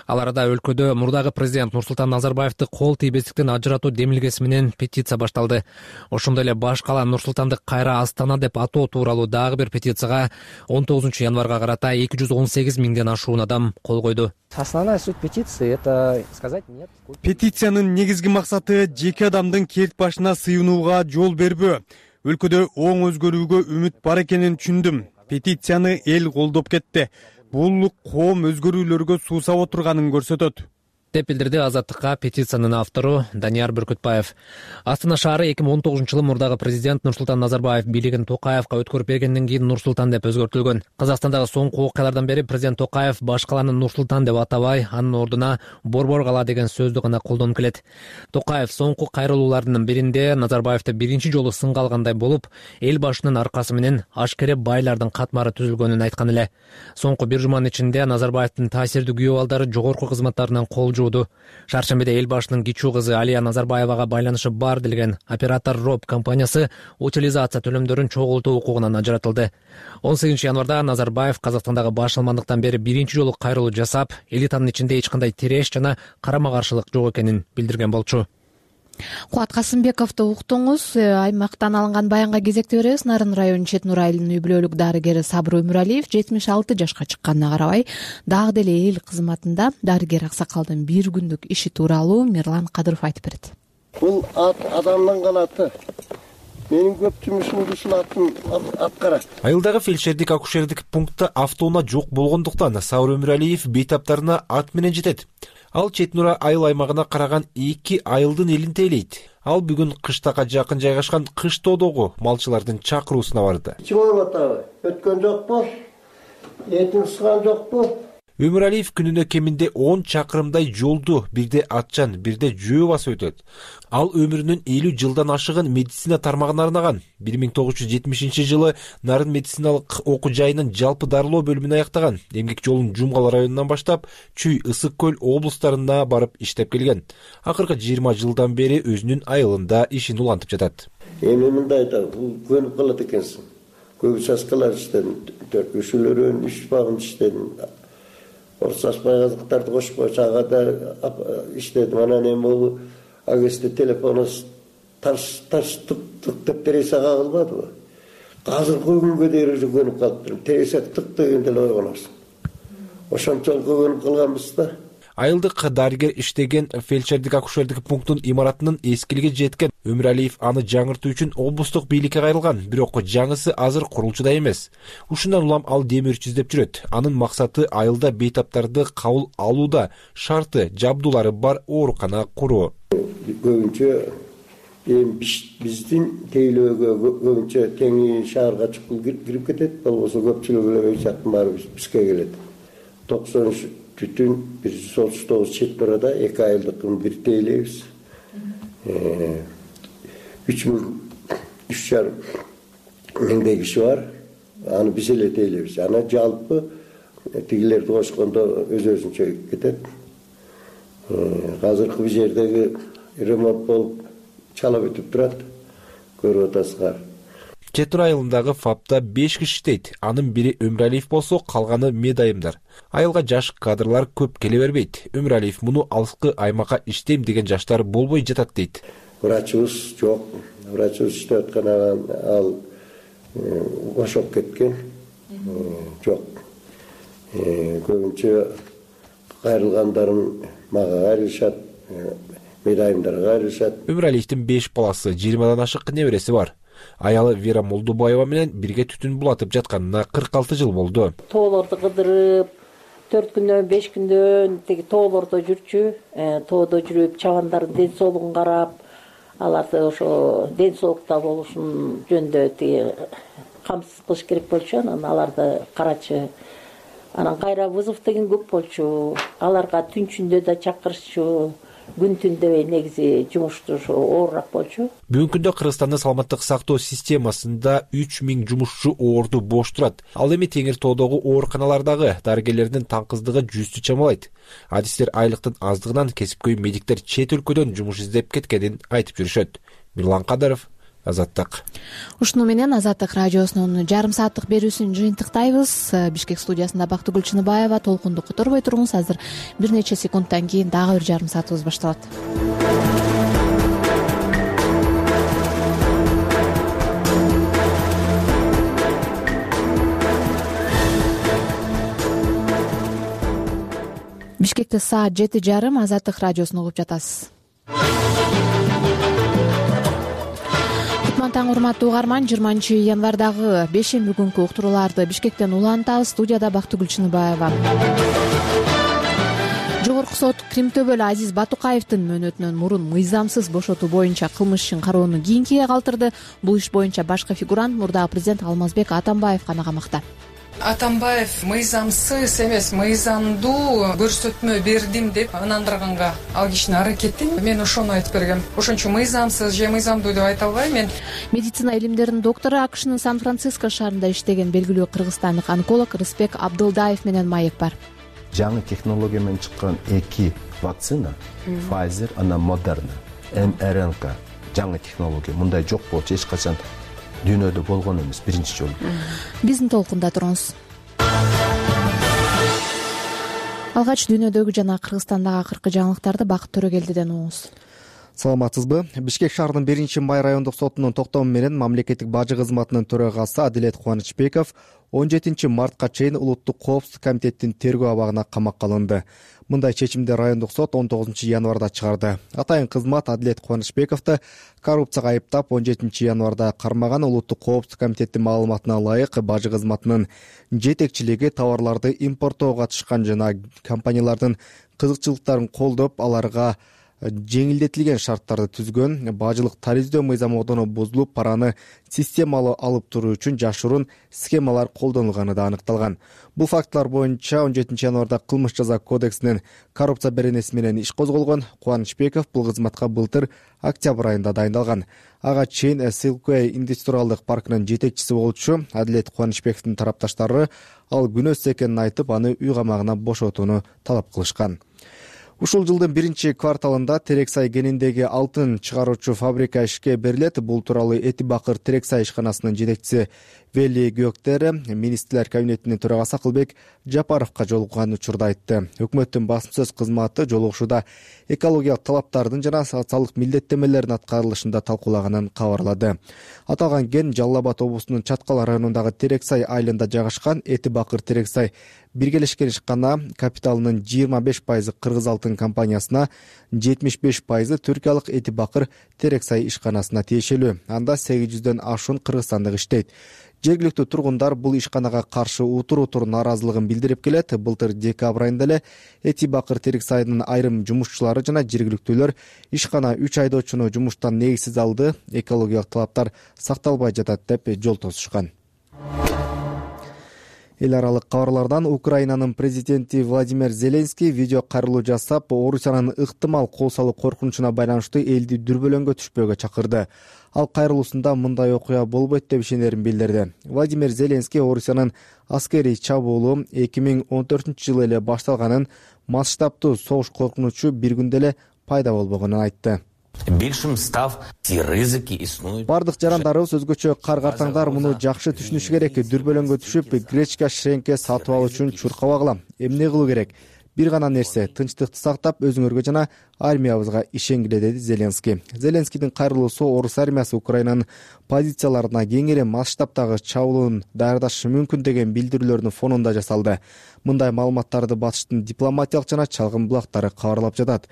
Ал арада өлкөдө мурдагы президент Нурсултан Назарбаевди кол тийбестиктен ажыратуу демилгеси менен петиция башталды. Ошондой эле баш кала Нурсултанды кайра Астана деп атоо тууралуу дагы бир петицияга он тогузунчу январга карата эки жүз он сегиз миңден ашуун адам кол койду. Основная суть петиции — это сказать нет. Петициянын негизги максаты жеке адамдын керт башына сыйынууга жол бербөө. Өлкөдө оң өзгөрүүгө үмүт бар экенин түшүндүм. Петицияны эл колдоп кетти. Бул коом өзгөрүүлөргө суусап отурганын көрсөтөт, деп билдирди Азаттыкка петициянын автору Данияр Бүркүтбаев. Астана шаары эки миң он тогузунчу жылы мурдагы президент Нурсултан Назарбаев бийлигин Токаевка өткөрүп бергенден кийин Нурсултан деп өзгөртүлгөн. Казакстандагы соңку окуялардан бери президент Токаев баш каланы Нурсултан деп атабай, анын ордуна Борбор кала деген сөздү гана колдонуп келет. Токаев соңку кайрылуулардын биринде Назарбаевди биринчи жолу сынга алгандай болуп, эл башынын аркасы менен ашкере байлардын катмары түзүлгөнүн айткан эле. Соңку бир жуманын ичинде Назарбаевдин таасирдүү күйөө балдары жогорку кызматтарынан кол жууду. Шаршембиде эл башынын кичүү кызы Алия Назарбаевага байланышы бар делген оператор Роб компаниясы утилизация төлөмдөрүн чогултуу укугунан ажыратылды. он сегизинчи январда Назарбаев Казакстандагы баш алмандыктан бери биринчи жолу кайрылуу жасап, элитанын ичинде эч кандай тиреш жана карама-каршылык жок экенин билдирген болчу. Кубат Касымбековду уктуңуз. Аймактан алынган баянга кезекте беребиз. Нарын районунун Чет Нур айылынын үй бүлөлүк дарыгери Сабыр Өмүралиев жетимиш алты жашка чыкканына карабай, дагы деле эл кызматында дарыгер аксакалдын бир күндүк иши тууралуу Мирлан Кадыров айтып берет. Бул ат адамдын канаты. Менин көп жумушумду ушул атын аткарат. Айылдагы фельдшердик акушердик пунктта автоунаа жок болгондуктан Сабыр Өмүралиев бейтаптарына ат менен жетет. Ал Чет Нур айыл аймагына караган эки айылдын элин тейлейт. Ал бүгүн кыштакка жакын жайгашкан Кыш Тоодогу малчылардын чакыруусуна барды. Чоң атабы өткөн жокпу? Этин сыган жокпу? Өмүралиев күнүнө кеминде он чакырымдай жолду бирде атчан, бирде жөө басып өтөт. Ал өмүрүнүн элүү жылдан ашыгын медицина тармагына арнаган. бир миң тогуз жүз жетимишинчи жылы Нарын медициналык окуу жайынын жалпы дарылоо бөлүмүн аяктаган. Эмгек жолун Жумгал районунан баштап Чүй, Ысык көл облустарына барып иштеп келген. Акыркы жыйырма жылдан бери өзүнүн айылында ишин улантып жатат. Эми мындай да көнүп калат экенсиң. Көп участкалар иштедим, төркүшүлөрүн, үч багым иштедим. Орсашпай казыктарды кошпой чагада иштедим. Анан эми бул агесте телефонус тарс тарс тык тык деп тереса кагылбадыбы? Азыркы күнгө дейин уже көнүп калыптыр. Тереса тык дегенде эле ойгоносуң. Ошончолук көнүп калганбыз да. Айылдык дарыгер иштеген фельдшердик акушердик пунктунун имаратынын эскилиги жеткен. Өмүралиев аны жаңыртуу үчүн облустук бийликке кайрылган, бирок жаңысы азыр курулчуда эмес. Ушундан улам ал демирчи издеп жүрөт. Анын максаты айылда бейтаптарды кабыл алууда шарты, жабдуулары бар оорукана куруу. Көбүнчө эми биздин тейлөөгө көбүнчө теңи шаарга чыгып кирип кетет, болбосо көпчүлүгү эле жактын баары бизге келет. токсон үч бүтүн бир жүз отуз тогуз Чет Нурда эки айылдыкын бир тейлейбиз. үч миң үч жарым миңдей киши бар. Аны биз эле тейлейбиз. Ана жалпы тигилерди кошкондо өз өзүнчө кетет. Азыркы бул жердеги ремонт болуп чала бүтүп турат. Көрүп атасыңар. Чет Нур айылындагы ФАПта беш киши иштейт. Анын бири Өмүралиев болсо, калганы медайымдар. Айылга жаш кадрлар көп келе бербейт. Өмүралиев муну алыскы аймакка иштейм деген жаштар болбой жатат дейт. Врачыбыз жок. Врачыбыз иштеп аткан ал бошоп кеткен. Жок. Көбүнчө кайрылгандарын мага кайрылышат, медайымдарга кайрылышат. Өмүралиевдин беш баласы, жыйырмадан ашык небереси бар. Аялы Вера Молдубаева менен бирге түтүн булатып жатканына кырк алты жыл болду. Тоолорду кыдырып, төрт күндөн, беш күндөн теги тоолордо жүрчү, тоодо жүрүп, чабандардын ден соолугун карап, аларды ошо ден соолукта болушун жөнүндө теги камсыз кылыш керек болчу, анан аларды карачы. Анан кайра вызов деген көп болчу. Аларга түнчүндө да чакырышчу. Күн түн дебей негизи жумушту оорураак болчу. Бүгүнкү күндө Кыргызстандын саламаттык сактоо системасында үч миң жумушчу орду бош турат. Ал эми Теңир Тоодогу ооруканалардагы дарыгерлердин таңкыздыгы жүздү чамалайт. Адистер айлыктын аздыгынан кесипкөй медиктер чет өлкөдөн жумуш издеп кеткенин айтып жүрүшөт. Мирлан Кадыров, Азаттык. Ушуну менен Азаттык радиосунун жарым сааттык берүүсүн жыйынтыктайбыз. Бишкек студиясында Бактыгүл Чыныбаева. Толкунду которбой туруңуз. Азыр бир нече секундтан кийин дагы бир жарым саатыбыз башталат. Бишкекте саат жети жарым. Азаттык радиосун угуп жатасыз. Таң урматтуу угарман, жыйырманчы январдагы бешемби күнкү уктурууларды Бишкектен улантабыз. Студияда Бактыгүл Чыныбаева. Жогорку сот Кримтөбөл Азиз Батукаевдин мөөнөтүнөн мурун мыйзамсыз бошотуу боюнча кылмыш ишин кароону кийинкиге калтырды. Бул иш боюнча башкы фигурант мурдагы президент Алмазбек Атамбаев гана камакта. Атамбаев мыйзамсыз эмес, мыйзамдуу көрсөтмө бердим деп ынандырганга ал кишини аракеттин. Мен ошону айтып бергем. Ошончо мыйзамсыз же мыйзамдуу деп айта албайм мен. Медицина илимдеринин доктору, АКШнын Сан-Франциско шаарында иштеген белгилүү кыргызстандык онколог Рысбек Абдылдаев менен маек бар. Жаңы технология менен чыккан эки вакцина, Pfizer, анан Moderna, эм эр эн ка жаңы технология. Мындай жок болчу эч качан дүйнөдө болгон эмес, биринчи жолу. Биздин толкунда туруңуз. Алгач дүйнөдөгү жана Кыргызстандагы акыркы жаңылыктарды Бакыт Төрөгелдиден угуңуз. Саламатсызбы? Бишкек шаарынын биринчи май райондук сотунун токтому менен мамлекеттик бажы кызматынын төрагасы Адилет Кубанычбеков он жетинчи мартка чейин Улуттук коопсуздук комитеттин тергөө абагына камакка алынды. Мындай чечимди райондук сот он тогузунчу январда чыгарды. Атайын кызмат Адилет Кубанычбековду коррупцияга айыптап он жетинчи январда кармаган. Улуттук коопсуздук комитеттин маалыматына ылайык бажы кызматынын жетекчилиги товарларды импорттоого катышкан жана компаниялардын кызыкчылыктарын колдоп, аларга жеңилдетилген шарттарды түзгөн, бажылык тарифтөө мыйзамы бузулуп, параны системалуу алып туруу үчүн жашыруун схемалар колдонулганы да аныкталган. Бул фактылар боюнча он жетинчи январда кылмыш жаза кодексинин коррупция беренеси менен иш козголгон. Кубанычбеков бул кызматка былтыр октябрь айында дайындалган. Ага чейин Silkway индустриалдык паркынын жетекчиси болчу. Адилет Кубанычбековдун тарапташтары ал күнөөсүз экенин айтып, аны үй камагына бошотууну талап кылышкан. Ушул жылдын биринчи кварталында Терексай кениндеги алтын чыгаруучу фабрика ишке берилет. Бул тууралуу Эти Бакыр Терексай ишканасынын жетекчиси Вели Гөктер министрлер кабинетинин төрагасы Акылбек Жапаровго жолуккан учурда айтты. Өкмөттүн басым сөз кызматы жолугушууда экологиялык талаптардын жана социалдык милдеттемелердин аткарылышында талкуулаганын кабарлады. Аталган кен Жалал Абад облусунун Чаткал районундагы Терексай айылында жайгашкан. Эти Бакыр Терексай биргелешкен ишкана капиталынын жыйырма беш пайызы Кыргыз алтын компаниясына, жетимиш беш пайызы түркиялык Эти Бакыр Терексай ишканасына тиешелүү. Анда сегиз жүздөн ашуун кыргызстандык иштейт. Жергиликтүү тургундар бул ишканага каршы утур-утур нааразылыгын билдирип келет. Былтыр декабрь айында эле Эти Бакыр Терексайдын айрым жумушчулары жана жергиликтүүлөр ишкана үч айдоочуну жумуштан негизсиз алды, экологиялык талаптар сакталбай жатат деп жол тосушкан. Эл аралык кабарлардан Украинанын президенти Владимир Зеленский видео кайрылуу жасап, Орусиянын ыктымал кол салуу коркунучуна байланыштуу элди дүрбөлөңгө түшпөөгө чакырды. Ал кайрылуусунда мындай окуя болбойт деп ишенерин билдирди. Владимир Зеленский Орусиянын аскерий чабуулу эки миң он төртүнчү жылы эле башталганын, масштабтуу согуш коркунучу бир күндө эле пайда болбогонун айтты. Бардык жарандарыбыз, өзгөчө кар-картаңдар муну жакшы түшүнүшү керек. Дүрбөлөңгө түшүп, гречка, шренке сатып алуу үчүн чуркабагыла. Эмне кылуу керек? Бир гана нерсе, тынчтыкты сактап, өзүңөргө жана армиябызга ишенгиле, деди Зеленский. Зеленскийдин кайрылуусу орус армиясы Украинанын позицияларына кеңири масштабтагы чабуулун даярдашы мүмкүн деген билдирүүлөрдүн фонунда жасалды. Мындай маалыматтарды батыштын дипломатиялык жана чалгын булактары кабарлап жатат.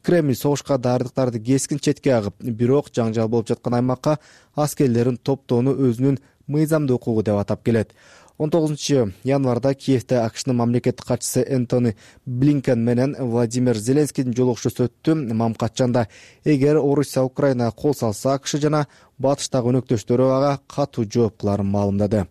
Кремль согушка даярдыктарды кескин четке агып, бирок жаңжал болуп жаткан аймакка аскерлерин топтоону өзүнүн мыйзамдуу укугу деп атап келет. он тогузунчу январда Киевде АКШнын мамлекеттик катчысы Энтони Блинкен менен Владимир Зеленскийдин жолугушуусу өттү. Мамкатчанда эгер Орусия Украинага кол салса, АКШ жана батыштагы өнөктөштөрү ага катуу жооп кыларын маалымдады.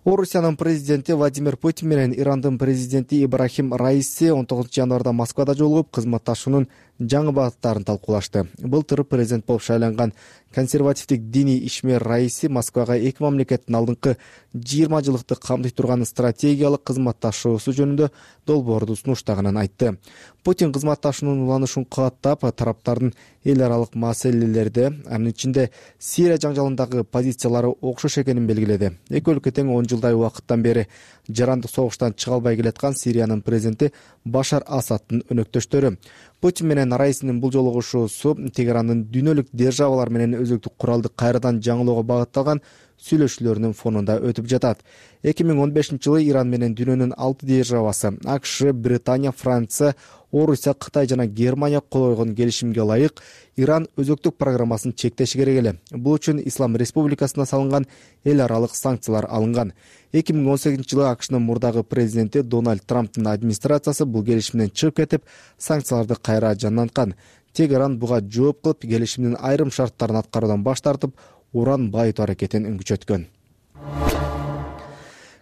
Орусиянын президенти Владимир Путин менен Ирандын президенти Ибрахим Раиси он тогузунчу январда Москвада жолугуп, кызматташуунун жаңы багыттарын талкуулашты. Былтыр президент болуп шайланган консервативдик диний ишмер Раиси Москвага эки мамлекеттин алдыңкы жыйырма жылдыкты камтый турган стратегиялык кызматташуусу жөнүндө долбоорду сунуштаганын айтты. Путин кызматташуунун уланышын кабаттап, тараптардын эл аралык маселелерде, анын ичинде Сирия жаңжалындагы позициялары окшош экенин белгиледи. Эки өлкө тең он жылдай убакыттан бери жарандык согуштан чыга албай келаткан Сириянын президенти Башар Асадтын өнөктөштөрү. Путин менен Раисинин бул жолугушуусу Тегерандын дүйнөлүк державалар менен өзөктүк куралды кайрадан жаңылоого багытталган сүйлөшүүлөрүнүн фонунда өтүп жатат. эки миң он бешинчи жылы Иран менен дүйнөнүн алты державасы АКШ, Британия, Франция, Орусия, Кытай жана Германия кол койгон келишимге ылайык Иран өзөктүк программасын чектеши керек эле. Бул үчүн Ислам Республикасына салынган эл аралык санкциялар алынган. эки миң он сегизинчи жылы АКШнын мурдагы президенти Дональд Трамптын администрациясы бул келишимден чыгып кетип, санкцияларды кайра жанданткан. Тегеран буга жооп кылып, келишимдин айрым шарттарын аткаруудан баш тартып, уран байытуу аракетин күчөткөн.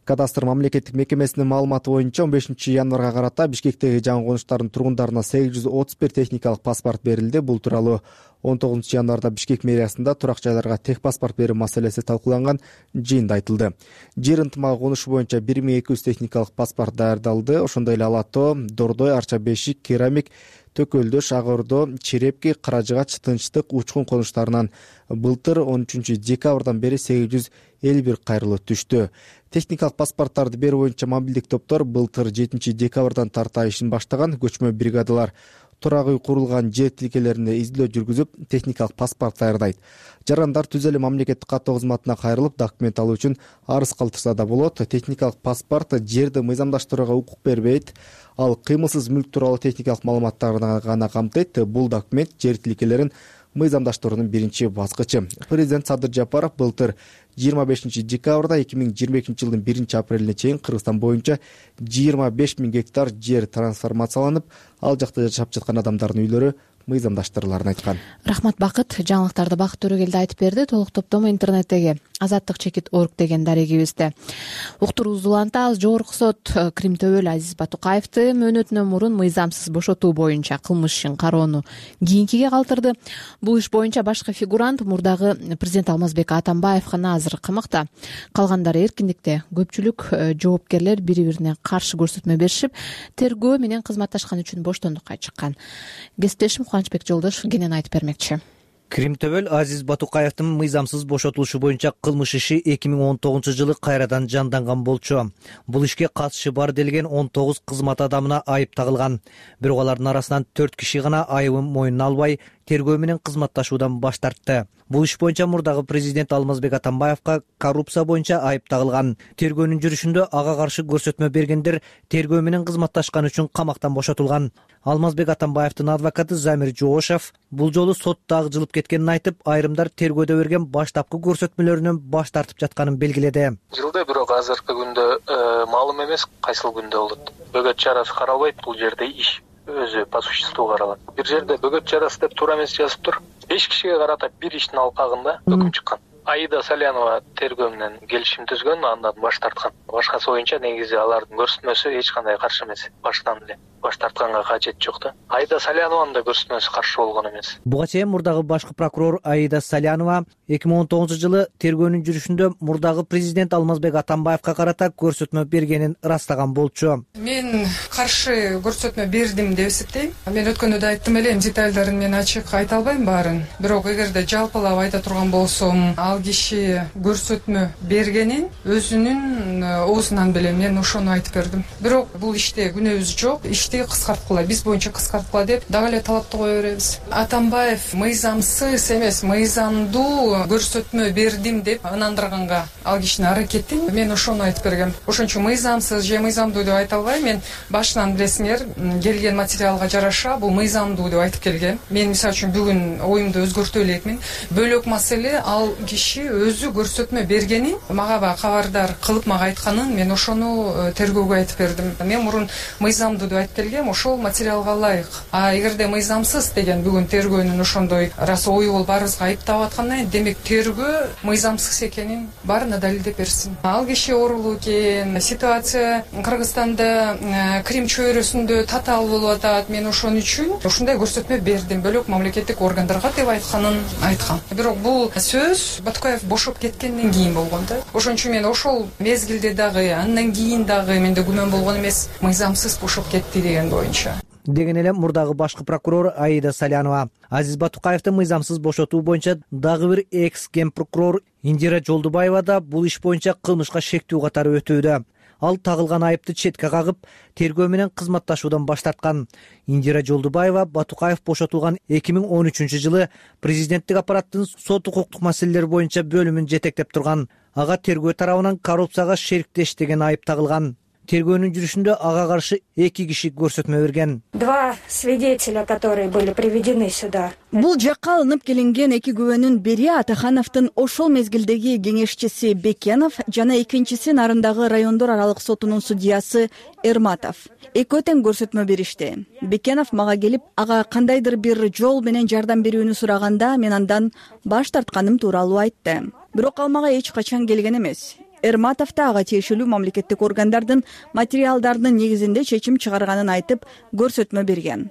Кадастр мамлекеттик мекемесинин маалыматы боюнча он бешинчи январга карата Бишкектеги жаңы конуштардын тургундарына сегиз жүз отуз бир техникалык паспорт берилди. Бул тууралуу он тогузунчу январда Бишкек мэриясында турак жайларга тех паспорт берүү маселеси талкууланган жыйында айтылды. Жер ынтымагы конушу боюнча бир миң эки жүз техникалык паспорт даярдалды. Ошондой эле Ала Тоо, Дордой, Арча бешик, Керамик, Төкөлдөш, Ак Ордо, Черепки, Каражыгач, Тынчтык, Учкун конуштарынан былтыр он үчүнчү декабрдан бери сегиз жүз элүү бир кайрылуу түштү. Техникалык паспорттарды берүү боюнча мобилдик топтор былтыр жетинчи декабрдан тарта ишин баштаган. Көчмө бригадалар турак үй курулган жер тилкелеринде издөө жүргүзүп, техникалык паспорт даярдайт. Жарандар түз эле мамлекеттик каттоо кызматына кайрылып, документ алуу үчүн арыз калтырса да болот. Техникалык паспорт жерди мыйзамдаштырууга укук бербейт. Ал кыймылсыз мүлк тууралуу техникалык маалыматтарды гана камтыйт. Бул документ жер тилкелерин мыйзамдаштыруунун биринчи баскычы. Президент Садыр Жапаров былтыр жыйырма бешинчи декабрда эки миң жыйырма экинчи жылдын биринчи апрелине чейин Кыргызстан боюнча жыйырма беш миң гектар жер трансформацияланып, ал жакта жашап жаткан адамдардын үйлөрү мыйзамдаштырыларын айткан. Рахмат Бакыт. Жаңылыктарды Бакыт Төрөгелди айтып берди. Толук топтому интернеттеги азаттык чекит точка орг деген дарегибизде. Уктуруубузду улантабыз. Жогорку сот Крим Төбөл Азиз Батукаевди мөөнөтүнөн мурун мыйзамсыз бошотуу боюнча кылмыш ишин кароону кийинкиге калтырды. Бул иш боюнча башкы фигурант мурдагы президент Алмазбек Атамбаев гана азыр камакта. Калгандары эркиндикте. Көпчүлүк жоопкерлер бири-бирине каршы көрсөтмө беришип, тергөө менен кызматташкан үчүн боштондукка чыккан. Кесиптешим Кубанычбек Жолдошев кенен айтып бермекчи. Крим Төбөл Азиз Батукаевдин мыйзамсыз бошотулушу боюнча кылмыш иши эки миң он тогузунчу жылы кайрадан жанданган болчу. Бул ишке катышы бар делген он тогуз кызмат адамына айып тагылган. Бирок алардын арасынан төрт киши гана айыбын мойнуна албай, тергөө менен кызматташуудан баш тартты. Бул иш боюнча мурдагы президент Алмазбек Атамбаевга коррупция боюнча айып тагылган. Тергөөнүн жүрүшүндө ага каршы көрсөтмө бергендер тергөө менен кызматташкан үчүн камактан бошотулган. Алмазбек Атамбаевдин адвокаты Замир Жоошев бул жолу сотто жылып кеткенин айтып, айрымдар тергөөдө берген баштапкы көрсөтмөлөрүнөн баш тартып жатканын белгиледи. Жылда бирок азыркы күндө маалым эмес кайсыл күндө болот. Бөгөт чарасы каралбайт, бул жерде иш өзү по существу каралат. Бир жерде бөгөт чарасы деп туура эмес жазып тур. беш кишиге карата бир иштин алкагында өкүм чыккан. Аида Салянова тергөө менен келишим түзгөн, андан баш тарткан. Башкасы боюнча негизи алардын көрсөтмөсү эч кандай каршы эмес. Баштан эле баш тартканга кажет жок да. Аида Салянованын да көрсөтмөсү каршы болгон эмес. Буга чейин мурдагы башкы прокурор Аида Салянова эки миң он тогузунчу жылы тергөөнүн жүрүшүндө мурдагы президент Алмазбек Атамбаевга карата көрсөтмө бергенин ырастаган болчу. Мен каршы көрсөтмө бердим деп эсептейм. Мен өткөндө да айттым элем, детальдарын мен ачык айта албайм баарын. Бирок эгерде жалпылап айта турган болсом, ал киши көрсөтмө бергенин өзүнүн оозунан билем, мен ошону айтып бердим. Бирок бул иште күнөөбүз жок. Ишти кыскарткыла, биз боюнча кыскарткыла деп дагы эле талапты кое беребиз. Атамбаев мыйзамсыз эмес, мыйзамдуу көрсөтмө бердим деп ынандырганга ал кишинин аракетин мен ошону айтып бергем. Ошон үчүн мыйзамсыз же мыйзамдуу деп айта албайм. Мен башынан билесиңер, келген материалга жараша бул мыйзамдуу деп айтып келгем. Мен мисалы үчүн бүгүн оюмду өзгөртө элекмин. Бөлөк маселе, ал киши өзү көрсөтмө бергенин мага ба кабардар кылып мага айтканын мен ошону тергөөгө айтып бердим. Мен мурун мыйзамдуу деп айтып эметилгем ошол материалга ылайык. А эгерде мыйзамсыз деген бүгүн тергөөнүн ошондой раз ою болуп баарыбызга айыптап аткандан кийин, демек тергөө мыйзамсыз экенин баарына далилдеп берсин. Ал киши оорулуу экен, ситуация Кыргызстанда Крим чөйрөсүндө татаал болуп атат. Мен ошон үчүн ушундай көрсөтмө бердим. Бөлөк мамлекеттик органдарга деп айтканын айткан. Бирок бул сөз Батукаев бошоп кеткенден кийин болгон да. Ошон үчүн мен ошол мезгилде дагы, андан кийин дагы менде күмөн болгон эмес, мыйзамсыз бошоп кетти деген боюнча. Деген эле мурдагы башкы прокурор Аида Салянова. Азиз Батукаевди мыйзамсыз бошотуу боюнча дагы бир экс ген прокурор Индира Жолдубаева да бул иш боюнча кылмышка шектүү катары өтүүдө. Ал тагылган айыпты четке кагып, тергөө менен кызматташуудан баш тарткан. Индира Жолдубаева Батукаев бошотулган эки миң он үчүнчү жылы президенттик аппараттын сот укуктук маселелер боюнча бөлүмүн жетектеп турган. Ага тергөө тарабынан коррупцияга шериктеш деген айып тагылган. Тергөөнүн жүрүшүндө ага каршы эки киши көрсөтмө берген. Два свидетеля, которые были приведены сюда. Бул жакка алынып келинген эки күбөнүн бири Атахановдун ошол мезгилдеги кеңешчиси Бекенов жана экинчиси Нарындагы райондор аралык сотунун судьясы Эрматов. Экөө тең көрсөтмө беришти. Бекенов мага келип, ага кандайдыр бир жол менен жардам берүүнү сураганда, мен андан баш тартканым тууралуу айтты. Бирок ал мага эч качан келген эмес. Эрматов да ага тиешелүү мамлекеттик органдардын материалдарынын негизинде чечим чыгарганын айтып, көрсөтмө берген.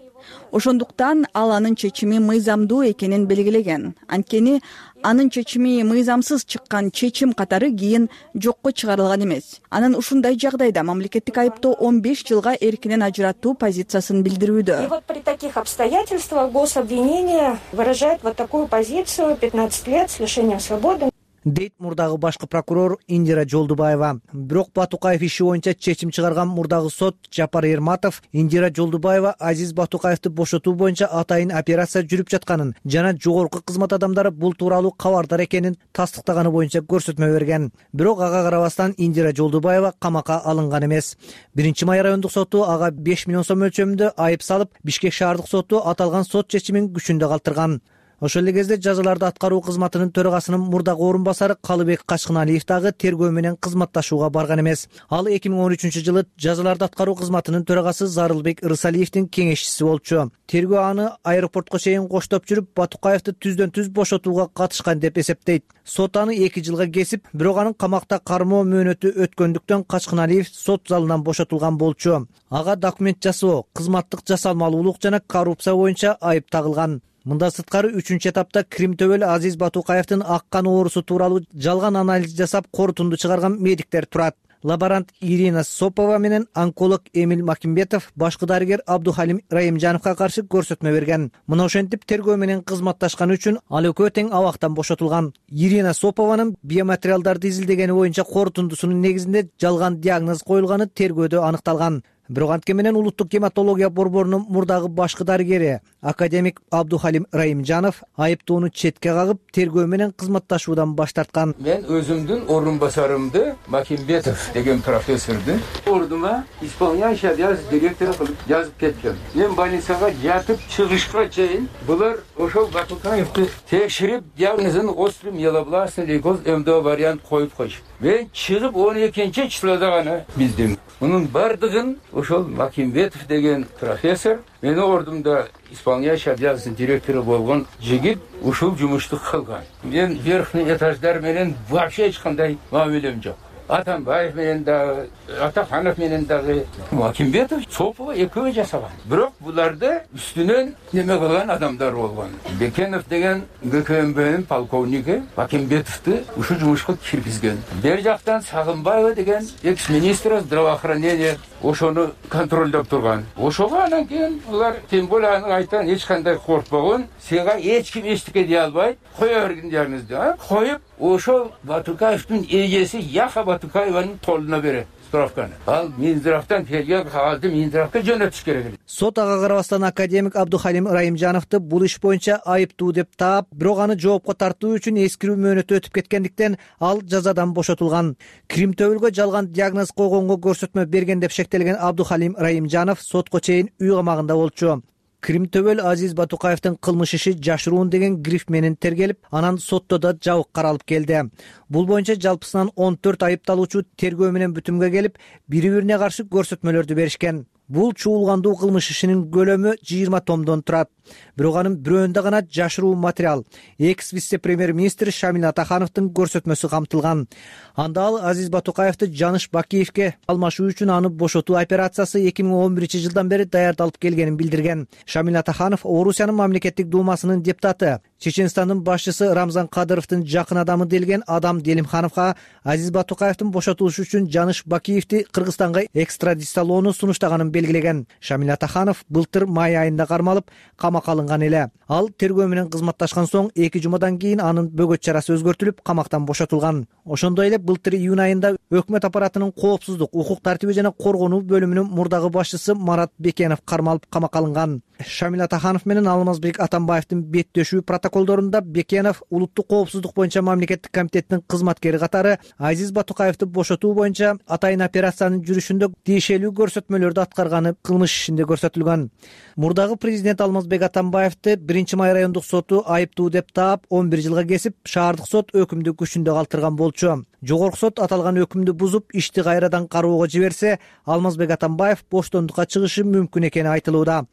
Ошондуктан ал анын чечими мыйзамдуу экенин белгилеген. Анткени анын чечими мыйзамсыз чыккан чечим катары кийин жокко чыгарылган эмес. Анын ушундай жагдайда мамлекеттик айыптоо он беш жылга эркинен ажыратуу позициясын билдирүүдө. И вот при таких обстоятельствах гособвинение выражает вот такую позицию: пятнадцать лет с лишением свободы. Дейт мурдагы башкы прокурор Индира Жолдубаева. Бирок Батукаев иши боюнча чечим чыгарган мурдагы сот Жапар Эрматов Индира Жолдубаева Азиз Батукаевди бошотуу боюнча атайын операция жүрүп жатканын жана жогорку кызмат адамдары бул тууралуу кабардар экенин тастыктаганы боюнча көрсөтмө берген. Бирок ага карабастан Индира Жолдубаева камакка алынган эмес. биринчи май райондук соту ага беш миллион сом мөлчөрүндө айып салып, Бишкек шаардык соту аталган сот чечимин күчүндө калтырган. Ошол эле кезде жазаларды аткаруу кызматынын төрагасынын мурдагы орун басары Калыбек Качкыналиев дагы тергөө менен кызматташууга барган эмес. Ал эки миң он үчүнчү жылы жазаларды аткаруу кызматынын төрагасы Зарылбек Ырысалиевдин кеңешчиси болчу. Тергөө аны аэропортко чейин коштоп жүрүп, Батукаевди түздөн түз бошотууга катышкан деп эсептейт. Сот аны эки жылга кесип, бирок анын камакта кармоо мөөнөтү өткөндүктөн Качкыналиев сот залынан бошотулган болчу. Ага документ жасоо, кызматтык жасалмалуулук жана коррупция боюнча айып тагылган. Мында сырткары үчүнчү этапта Крим төбөл Азиз Батукаевдин ак кан оорусу тууралуу жалган анализ жасап корутунду чыгарган медиктер турат. Лаборант Ирина Сопова менен онколог Эмил Макимбетов башкы дарыгер Абдухалим Раимжановго каршы көрсөтмө берген. Мына ошентип тергөө менен кызматташканы үчүн ал экөө тең абактан бошотулган. Ирина Сопованын биоматериалдарды изилдегени боюнча корутундусунун негизинде жалган диагноз коюлганы тергөөдө аныкталган. Бирок антке менен улуттук гематология борборунун мурдагы башкы дарыгери академик Абдухалим Раимжанов айыптоону четке кагып, тергөө менен кызматташуудан баш тарткан. Мен өзүмдүн орун басарымды Макимбетов деген профессорду ордума исполняющий обязанности директора кылып жазып кеткен. Мен больницага жатып чыгышка чейин булар ошол Батукаевди текширип, диагнозун острый миелобластный лейкоз эмдөө вариант коюп койуш. Мен чыгып он экинчи числода гана билдим. Мунун бардыгын ошол Макимбетов деген профессор, мени ордумда исполняющий обязанности директора болгон жигит ушул жумушту кылган. Мен верхний этаждар менен вообще эч кандай мамилем жок. Атамбаев менен дагы, Атаханов менен дагы, Макимбетов, Сопова экөө жасаган. Бирок буларды үстүнөн неме кылган адамдар болгон. Бекенов деген ГКМБнин полковниги Макимбетовду ушул жумушка киргизген. Бер жактан Сагынбаева деген экс-министр здравоохранения ошону контролдоп турган. Ошого анан кийин булар тем более анын айтан эч кандай коркпогон, сага эч ким эчтеке дей албайт, кое бергин диагнозду, коюп ошол Батукаевдин эжеси Яха Батукаеванын колуна берет справканы. Ал Минздравдан келген кагазды Минздравга жөнөтүш керек. Сот ага карабастан академик Абдухалим Раимжановду бул иш боюнча айыптуу деп таап, бирок аны жоопко тартуу үчүн эскирүү мөөнөтү өтүп кеткендиктен ал жазадан бошотулган. Крим төбөлгө жалган диагноз койгонго көрсөтмө берген деп шектелген Абдухалим Раимжанов сотко чейин үй камагында болчу. Крим төбөл Азиз Батукаевдин кылмыш иши жашыруун деген гриф менен тергелип, анан сотто да жабык каралып келди. Бул боюнча жалпысынан он төрт айыпталуучу тергөө менен бүтүмгө келип, бири-бирине каршы көрсөтмөлөрдү беришкен. Бул чуулгандуу кылмыш ишинин көлөмү жыйырма томдон турат. Бирок анын бирөөндө гана жашыруу материал экс вице-премьер-министр Шамил Атахановдун көрсөтмөсү камтылган. Анда ал Азиз Батукаевди Жаныш Бакиевке алмашуу үчүн аны бошотуу операциясы эки миң он биринчи жылдан бери даярдалып келгенин билдирген. Шамил Атаханов Орусиянын мамлекеттик думасынын депутаты. Чеченстандын башчысы Рамзан Кадыровдун жакын адамы делген Адам Делимхановго Азиз Батукаевдин бошотулушу үчүн Жаныш Бакиевди Кыргызстанга экстрадициялоону сунуштаганын белгилеген. Шамил Атаханов былтыр май айында кармалып камакка алынган эле. Ал тергөө менен кызматташкан соң эки жумадан кийин анын бөгөт чарасы өзгөртүлүп камактан бошотулган. Ошондой эле былтыр июнь айында өкмөт аппаратынын коопсуздук, укук тартиби жана коргонуу бөлүмүнүн мурдагы башчысы Марат Бекенов кармалып камакка алынган. Шамил Атаханов менен Алмазбек Атамбаевдин беттешүү протоколдорунда Бекенов улуттук коопсуздук боюнча мамлекеттик комитеттин кызматкери катары Азиз Батукаевди бошотуу боюнча атайын операциянын жүрүшүндө тиешелүү көрсөтмөлөрдү аткарганы кылмыш ишинде көрсөтүлгөн. Мурдагы президент Алмазбек Атамбаевди биринчи май райондук соту айыптуу деп таап он бир жылга кесип, шаардык сот өкүмдү күчүндө калтырган болчу. Жогорку сот аталган өкүмдү бузуп, ишти кайрадан кароого жиберсе, Алмазбек Атамбаев боштондукка чыгышы мүмкүн экени айтылууда.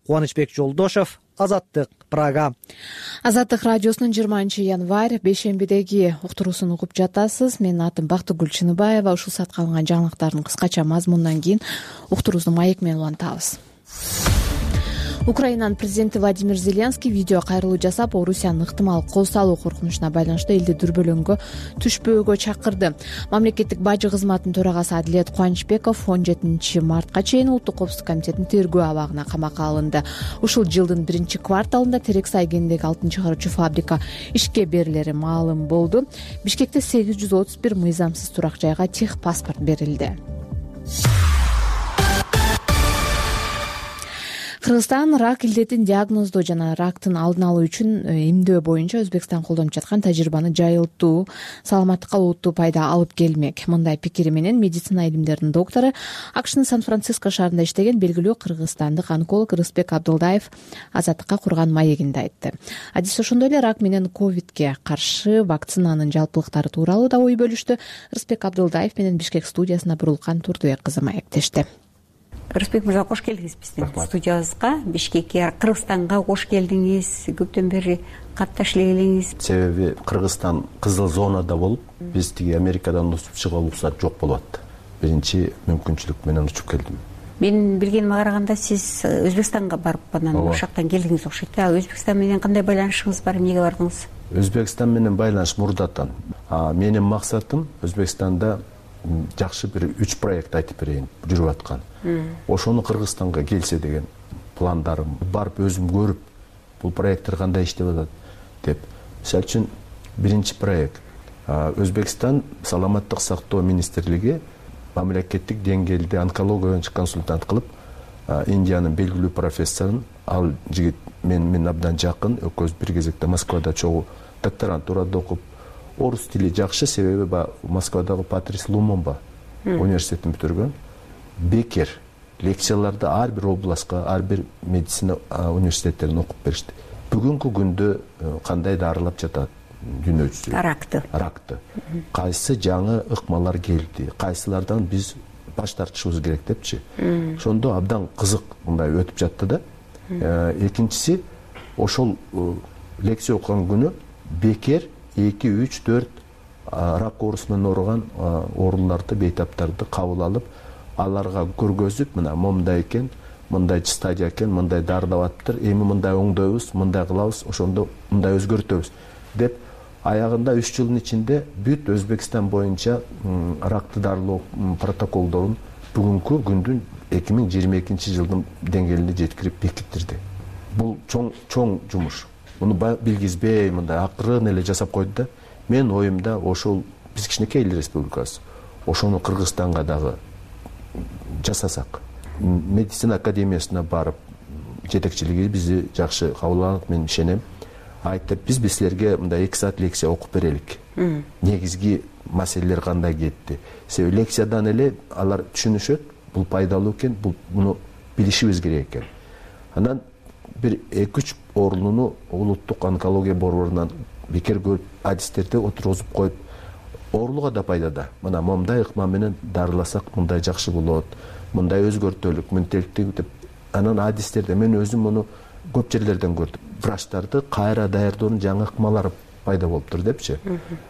Кубанычбек Жолдошов, Азаттык, Прага. Азаттык радиосунун жыйырманчы январь бейшембидеги уктуруусун угуп жатасыз. Менин атым Бактыгүл Чыныбаева. Ушул саатка алынган жаңылыктардын кыскача мазмунунан кийин уктуруубузду маек менен улантабыз. Украинанын президенти Владимир Зеленский видео кайрылуу жасап, Орусиянын ыктымал кол салуу коркунучуна байланыштуу элди дүрбөлөңгө түшпөөгө чакырды. Мамлекеттик бажы кызматынын төрагасы Адилет Кубанычбеков он жетинчи мартка чейин Улуттук коопсуздук комитетинин тергөө абагына камакка алынды. Ушул жылдын биринчи кварталында Терексай кенидеги алтын чыгаруучу фабрика ишке берилери маалым болду. Бишкекте сегиз жүз отуз бир мыйзамсыз турак жайга тех паспорт берилди. Кыргызстан рак илдетин диагноздоо жана рактын алдын алуу үчүн эмдөө боюнча Өзбекстан колдонуп жаткан тажрыйбаны жайылтуу, саламаттыкка олуттуу пайда алып келмек. Мындай пикири менен медицина илимдеринин доктору, АКШнын Сан-Франциско шаарында иштеген белгилүү кыргызстандык онколог Рыспек Абдылдаев Азаттыкка курган маегинде айтты. Адис ошондой эле рак менен ковидке каршы вакцинанын жалпылыктары тууралуу да ой бөлүштү. Рыспек Абдылдаев менен Бишкек студиясына Бурулкан Турдубек кызы маектешти. Рыспек мырза, кош келдиңиз биздин студиябызга, Бишкекке, Кыргызстанга кош келдиңиз. Көптөн бери катташ эле элеңиз. Себеби Кыргызстан кызыл зонада болуп, биз тиги Америкадан учуп чыга уруксат жок болуп. Биринчи мүмкүнчүлүк менен учуп келдим. Менин билгениме караганда сиз Өзбекстанга барып анан ошол жактан келдиңиз окшойт. Өзбекстан менен кандай байланышыңыз бар, эмнеге бардыңыз? Өзбекстан менен байланыш мурдатан. Менин максатым Өзбекстанда жакшы бир үч проект айтып берейин, жүрүп аткан. Ошону Кыргызстанга келсе деген пландарым. Барып өзүм көрүп, бул проекттер кандай иштеп атат деп. Мисалы үчүн биринчи проект Өзбекстан саламаттык сактоо министрлиги мамлекеттик деңгээлде онкология боюнча консультант кылып, Индиянын белгилүү профессорун, ал жигит мен мен абдан жакын, экөөбүз бир кезекте Москвада чогуу докторантурада окуп, орус тили жакшы, себеби Москвадагы Патрис Лумумба университетин бүтүргөн. Бекер лекцияларды ар бир областка, ар бир медицина университеттерин окуп беришти. Бүгүнкү күндө кандай дарылап жатат дүйнө жүзү? Ракты. Ракты. Кайсы жаңы ыкмалар келди? Кайсылардан биз баш тартышыбыз керек депчи. Ошондо абдан кызык мындай өтүп жатты да. Экинчиси, ошол лекция окуган күнү бекер эки үч төрт рак оорусу менен ооруган ооруларды, бейтаптарды кабыл алып, аларга көргөзүп, мына момундай экен, мындай стадия экен, мындай дарылап атыптыр, эми мындай оңдойбуз, мындай кылабыз, ошондо мындай өзгөртөбүз деп, аягында үч жылдын ичинде бүт Өзбекстан боюнча ракты дарылоо протоколдорун бүгүнкү күндүн эки миң жыйырма экинчи жылдын деңгээлине жеткирип бекиттирди. Бул чоң чоң жумуш. Муну билгизбей, мындай акырын эле жасап койду да. Мен оюмда ошол биз кичинекей эл республикасы. Ошону Кыргызстанга дагы жасасак. Медицина академиясына барып, жетекчилиги бизди жакшы кабыл алат, мен ишенем. Айтып, биз силерге мындай эки саат лекция окуп берелик. Негизги маселелер кандай кетти. Себеби лекциядан эле алар түшүнүшөт, бул пайдалуу экен, бул муну билишибиз керек экен. Анан бир эки үч орунуну улуттук онкология борборунан бекер көрүп, адистерди отургузуп коюп, оорулуга да пайдада. Мына момундай ыкма менен дарыласак мындай жакшы болот, мындай өзгөртөлүк мынтеликтүү деп анан адистерде мен өзүм муну көп жерлерден көрдүм. Врачтарды кайра даярдоонун жаңы ыкмалары пайда болуптур депчи.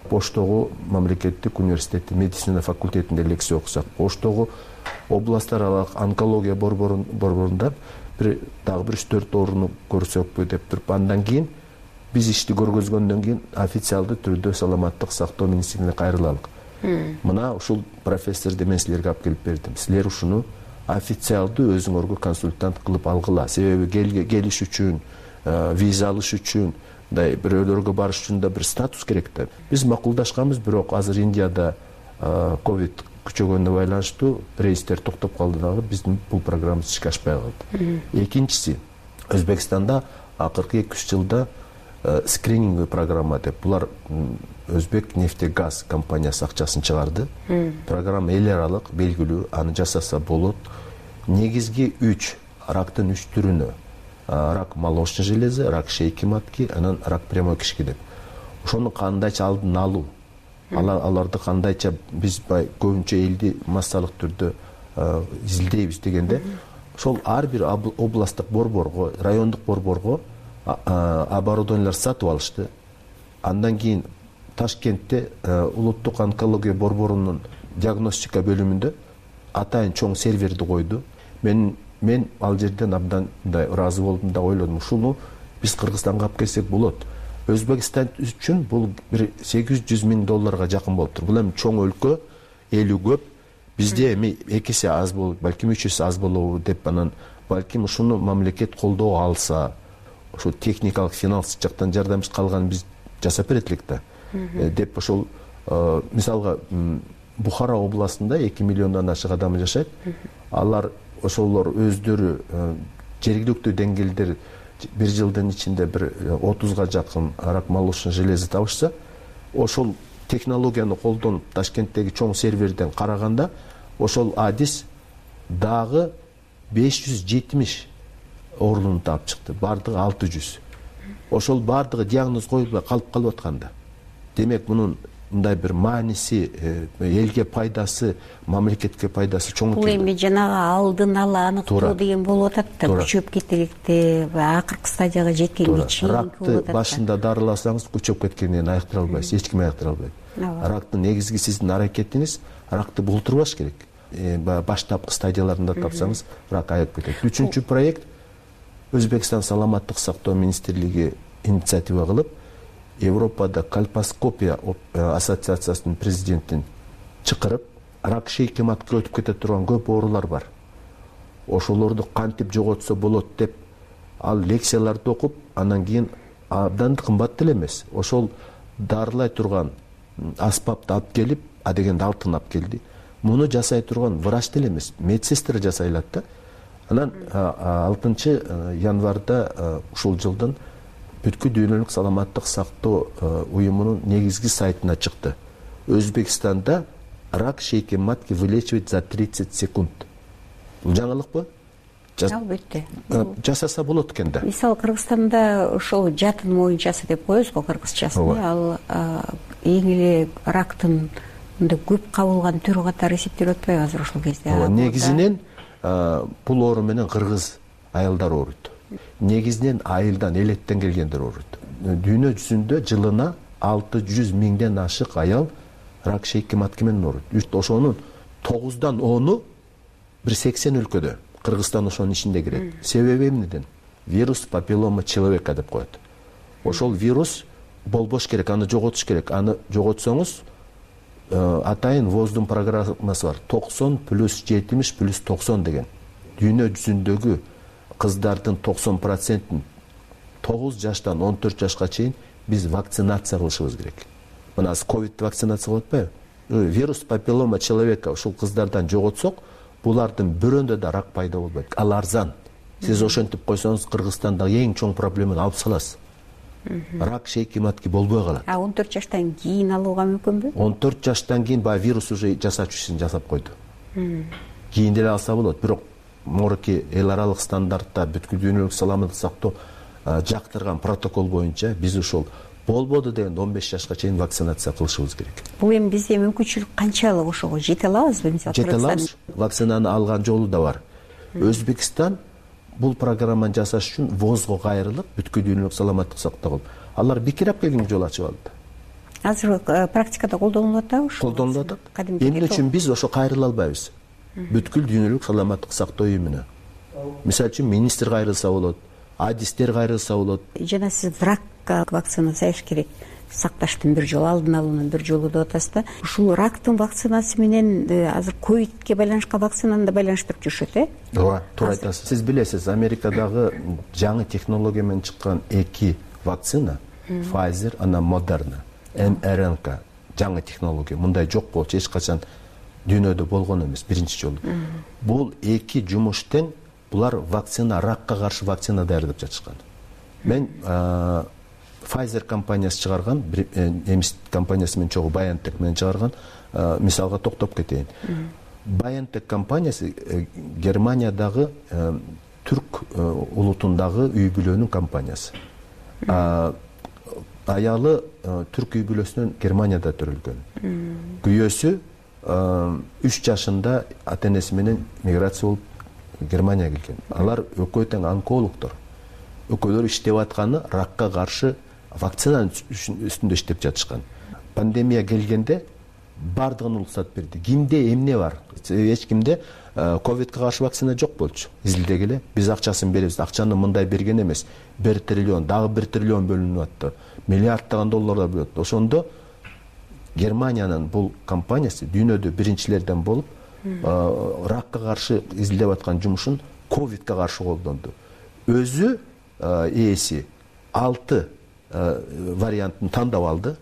Оштогу мамлекеттик университеттин медицина факультетинде лекция окусак, Оштогу областтар аралык онкология борборунда бир дагы бир үч төрт ооруну көрсөкпү деп туруп, андан кийин биз ишти көргөзгөндөн кийин официалдуу түрдө саламаттык сактоо министрлигине кайрыладык. Мына ушул профессорду мен силерге алып келип бердим. Силер ушуну официалдуу өзүңөргө консультант кылып алгыла. Себеби келиш үчүн, виза алыш үчүн, мындай бирөөлөргө барыш үчүн да бир статус керек да. Биз макулдашканбыз, бирок азыр Индияда ковид күчөгөнүнө байланыштуу рейстер токтоп калды дагы, биздин бул программабыз ишке ашпай калды. Экинчиси, Өзбекстанда акыркы эки үч жылда скрининговый программа деп, булар Өзбек нефтегаз компаниясы акчасын чыгарды. Программа эл аралык белгилүү, аны жасаса болот. Негизги үч рактын үч түрүнө: рак молочной железы, рак шейки матки, анан рак прямой кишки деп. Ошону кандайча алдын алуу, аларды кандайча биз көбүнчө элди массалык түрдө изилдейбиз дегенде, ошол ар бир областтык борборго, райондук борборго оборудованиялар сатып алышты. Андан кийин Ташкентте улуттук онкология борборунун диагностика бөлүмүндө атайын чоң серверди койду. Мен мен ал жерден абдан мындай ыраазы болдум да ойлодум, ушуну биз Кыргызстанга алып келсек болот. Өзбекстан үчүн бул бир сегиз жүз миң долларга жакын болуптур. Бул эми чоң өлкө, элүү көп. Бизде эми эки эсе аз болот, балким үч эсе аз болобу деп, анан балким ушуну мамлекет колдоо алса, ошо техникалык финанс жактан жардамчы калган биз жасап берет элек да деп, ошол мисалга Бухара областында эки миллиондон ашык адам жашайт. Алар ошолор өздөрү жергиликтүү деңгээлдер бир жылдын ичинде бир отузга жакын рак молочной железы табышса, ошол технологияны колдонуп Ташкенттеги чоң серверден караганда ошол адис дагы беш жүз жетимиш оорунуну таап чыкты. Бардыгы алты жүз. Ошол бардыгы диагноз коюлбай калып калып атканда. Демек мунун мындай бир мааниси, элге пайдасы, мамлекетке пайдасы чоң. Бул эми жанагы алдын ала аныктоо деген болуп атат да, күчөп кетеликте, акыркы стадияга жеткенге чейин ракты башында дарыласаңыз күчөп кеткенден айыктыра албайсыз, эч ким айыктыра албайт. Рактын негизги сиздин аракетиңиз ракты болтурбаш керек. Баштапкы стадияларында тапсаңыз, рак айыгып кетет. Үчүнчү проект Өзбекстан саламаттык сактоо министрлиги инициатива кылып, Европада кальпоскопия ассоциациясынын президентин чакырып, рак шейки матка өтүп кете турган көп оорулар бар. Ошолорду кантип жоготсо болот деп, ал лекцияларды окуп, андан кийин абдан кымбат деле эмес. Ошол дарылай турган аспапты алып келип, а дегенде алтын алып келди. Муну жасай турган врач деле эмес, медсестра жасай алат да. Анан алтынчы январда ушул жылдын бүткүл дүйнөлүк саламаттык сактоо уюмунун негизги сайтына чыкты. Өзбекстанда рак шейки матки вылечивать за тридцать секунд. Бул жаңылыкпы? Албетте. Жасаса болот экен да. Мисалы Кыргызстанда ошол жатын моюнчасы деп коебуз го, кыргызчасын. Ал эң эле рактын мындай көп кабылган түрү катары эсептелип атпайбы азыр ошол кезде? Негизинен бул оору менен кыргыз аялдар ооруйт. Негизинен айылдан, элеттен келгендер ооруйт. Дүйнө жүзүндө жылына алты жүз миңден ашык аял рак шейки матки менен ооруйт. Ошонун тогуздан ону бир сексен өлкөдө. Кыргызстан ошонун ичинде кирет. Себеби эмнеден? Вирус папиллома человека деп коет. Ошол вирус болбош керек, аны жоготуш керек. Аны жоготсоңуз атайын воздун программасы бар. токсон плюс жетимиш плюс токсон деген. Дүйнө жүзүндөгү кыздардын токсон процентин тогуз жаштан он төрт жашка чейин биз вакцинация кылышыбыз керек. Мына ковид вакцинация кылып атпайбы? Вирус папиллома человека ушул кыздардан жоготсок, булардын бирөөндө да рак пайда болбойт. Ал арзан. Сиз ошентип койсоңуз Кыргызстандагы эң чоң проблеманы алып саласыз. Рак шейки матки болбой калат. А он төрт жаштан кийин алууга мүмкүнбү? он төрт жаштан кийин баягы вирус уже жасач ишин жасап койду. Кийин деле алса болот, бирок морки эл аралык стандартта бүткүл дүйнөлүк саламаттык сактоо жактырган протокол боюнча биз ушул болбоду дегенде он беш жашка чейин вакцинация кылышыбыз керек. Бул эми бизде мүмкүнчүлүк канчалык ошого жете алабызбы? Мисалы жете алабыз. Вакцинаны алган жолу да бар. Өзбекстан бул программаны жасаш үчүн возго кайрылып, бүткүл дүйнөлүк саламаттык сактоо кылып, алар бекерап келген жол ачып алды. Азыр практикада колдонулуп атабы ошо? Колдонулуп атат. Эмне үчүн биз ошо кайрыла албайбыз? Бүткүл дүйнөлүк саламаттык сактоо уюмуна. Мисалы үчүн министр кайрылса болот, адистер кайрылса болот. Жана сиз ракка вакцинация керек. Сакташтын бир жолу, алдын алуунун бир жолу деп атасыз да. Ушул рактын вакцинасы менен азыр ковидке байланышкан вакцинаны да байланыштырып жүрүшөт, э? Ооба, туура айтасыз. Сиз билесиз, Америкадагы жаңы технология менен чыккан эки вакцина, Pfizer, анан Moderna, эм эр эн ка, жаңы технология. Мындай жок болчу, эч качан дүйнөдө болгон эмес, биринчи жолу. Бул эки жумуш тең, булар вакцина, ракка каршы вакцина даярдап жатышкан. Мен Pfizer компаниясы чыгарган, немис компаниясы менен чогуу BioNTech менен чыгарган мисалга токтоп кетейин. BioNTech компаниясы Германиядагы түрк улутундагы үй бүлөнүн компаниясы. Аялы түрк үй бүлөсүнөн Германияда төрөлгөн. Күйөөсү үч жашында ата-энеси менен миграция болуп Германияга келген. Алар экөө тең онкологдор. Экөөлөр иштеп атканы ракка каршы вакцинанын үстүндө иштеп жатышкан. Пандемия келгенде бардыгын уруксат берди. Кимде эмне бар? Эч кимде ковидке каршы вакцина жок болчу. Изилдегиле, биз акчасын беребиз. Акчаны мындай берген эмес. бир триллион, дагы бир триллион бөлүнүп атты. Миллиарддаган долларлар бөлөт. Ошондо Германиянын бул компаниясы дүйнөдө биринчилерден болуп, ракка каршы изилдеп аткан жумушун ковидке каршы колдонду. Өзү ээси алты вариантын тандап алды.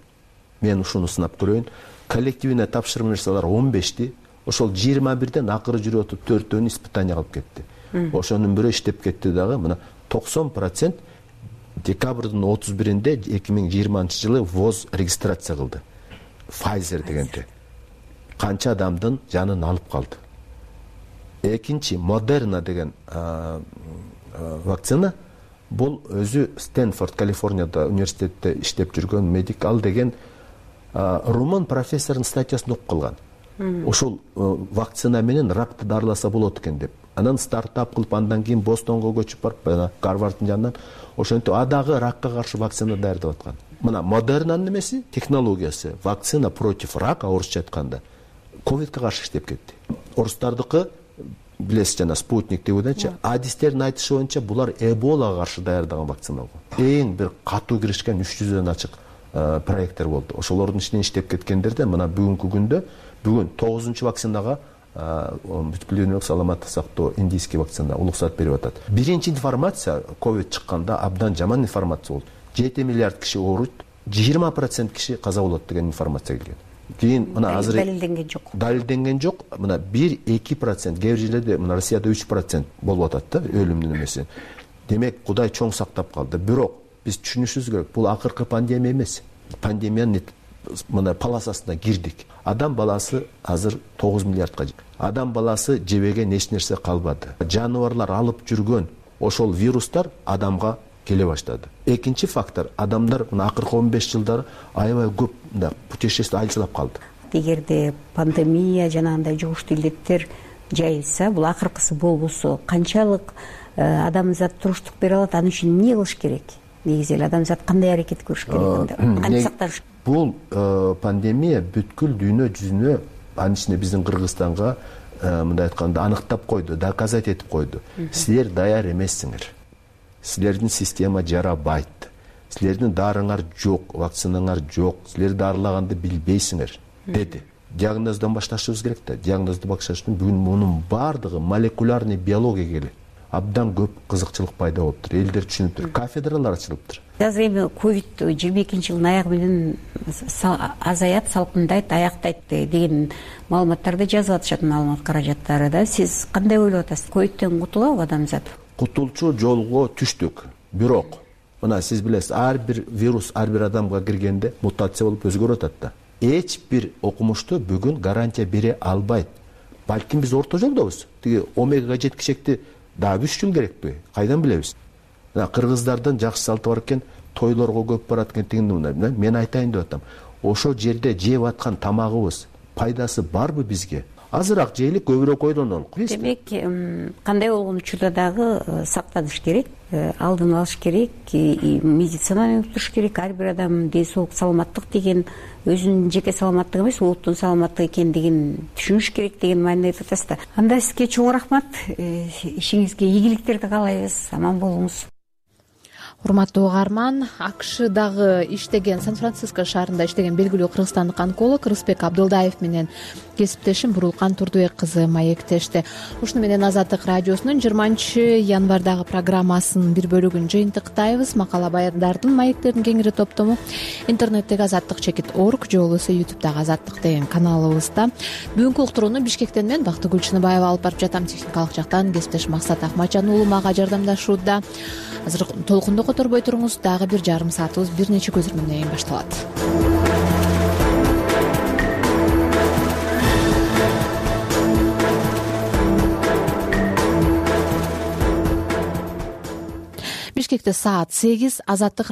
Мен ушуну сынап көрөйүн. Коллективине тапшырма нерселер он бешти. Ошол жыйырма бирден акыры жүрүп отуп төртөөнү испытание кылып кетти. Ошонун бирөө иштеп кетти дагы. Мына токсон процент декабрдын отуз биринде эки миң жыйырманчы жылы ВОЗ регистрация кылды. Pfizer дегенде. Канча адамдын жанын алып калды. Экинчи Moderna деген вакцина, бул өзү Стэнфорд, Калифорнияда университетте иштеп жүргөн медик, ал деген румын профессордун статьясын окуп калган. Ошол вакцина менен ракты дарыласа болот экен деп. Анан стартап кылып, андан кийин Бостонго көчүп барып, Гарварддын жанынан ошентип адагы ракка каршы вакцина даярдап аткан. Мына Modernанын немеси, технологиясы, вакцина против рака, орусча айтканда, ковидке каршы иштеп кетти. Орустардыкы билесиз, жана спутник деп атачы, адистердин айтышы боюнча булар Эболага каршы даярдаган вакцина болгон. Эң бир катуу киришкен үч жүздөн ачык проекттер болду. Ошолордун ичинен иштеп кеткендерде мына бүгүнкү күндө бүгүн тогузунчу вакцинага бүткүл дүйнөлүк саламаттык сактоо индийский вакцина уруксат берип атат. Биринчи информация ковид чыкканда абдан жаман информация болду. жети миллиард киши ооруйт, жыйырма процент киши каза болот деген информация келген. Кийин мына азыр далилденген жок. Далилденген жок. Мына бир-эки процент, кээ бир жерлерде мына Россияда үч процент болуп атат да өлүмдүн эмеси. Демек Кудай чоң сактап калды. Бирок биз түшүнүшүбүз керек, бул акыркы пандемия эмес. Пандемиянын мына полосасына кирдик. Адам баласы азыр тогуз миллиардка жетти. Адам баласы жебеген эч нерсе калбады. Жаныбарлар алып жүргөн ошол вирустар адамга келе баштады. Экинчи фактор, адамдар мына акыркы он беш жылдары аябай көп мындай путешествие айылчылап калды. Эгерде пандемия жанагындай жугуштуу илдеттер жайылса, бул акыркысы болбосо, канчалык адамзат туруштук бере алат, аны үчүн эмне кылыш керек? Негизи эле адамзат кандай аракет көрүш керек? Кантип сактаныш? Бул пандемия бүткүл дүйнө жүзүнө, анын ичинде биздин Кыргызстанга мындай айтканда аныктап койду, доказать этип койду. Силер даяр эмессиңер. Силердин система жарабайт. Силердин дарыңар жок, вакцинаңар жок. Силер дарылаганды билбейсиңер, деди. Диагноздон башташыбыз керек да. Диагнозду башташ үчүн бүгүн мунун бардыгы молекулярный биологияга келет. Абдан көп кызыкчылык пайда болуптур. Элдер түшүнүптүр. Кафедралар ачылыптыр. Азыр эми ковид жыйырма экинчи жылдын аягы менен азаят, салкындайт, аяктайт деген маалыматтарды жазып атышат, маалымат каражаттары да. Сиз кандай ойлоп атасыз? Ковидтен кутулабы адамзат? Кутулчу жолго түштүк. Бирок мына сиз билесиз, ар бир вирус ар бир адамга киргенде мутация болуп өзгөрүп атат да. Эч бир окумушту бүгүн гарантия бере албайт. Балким биз орто жолдобуз. Тиги омега жеткичекти дагы үч жыл керекпи? Кайдан билебиз? кыргыздардан жакшы салты бар экен, тойлорго көп барат экен, тигинди мындай. Мен айтайын деп атам. Ошо жерде жеп аткан тамагыбыз пайдасы барбы бизге? Азыраак жейлик, көбүрөөк ойлонолук. Демек, кандай болгон учурда дагы сактаныш керек, алдын алыш керек, медицинаны уктуруш керек. Ар бир адам ден соолук, саламаттык деген өзүнүн жеке саламаттыгы эмес, улуттун саламаттыгы экендигин түшүнүш керек деген мааниде айтып атасыз да. Анда сизге чоң рахмат. Ишиңизге ийгиликтерди каалайбыз. Аман болуңуз. Урматтуу угарман, АКШдагы иштеген, Сан-Франциско шаарында иштеген белгилүү кыргызстандык онколог Рыспек Абдылдаев менен кесиптешим Бурулкан Турдубек кызы маектешти. Ушуну менен Азаттык радиосунун жыйырманчы январдагы программасынын бир бөлүгүн жыйынтыктайбыз. Макала баяндардын, маектердин кеңири топтому интернеттеги азаттык чекит орг же болбосо ютубдагы Азаттык деген каналыбызда. Бүгүнкү уктурууну Бишкектен мен Бактыгүл Чыныбаева алып барып жатам. Техникалык жактан кесиптеш Максат Акматжан уулу мага жардамдашууда. Азыр толкунду которбой туруңуз, дагы бир жарым саатыбыз бир нече көзөрмөндөн кийин башталат. Бишкекте саат сегиз. Азаттык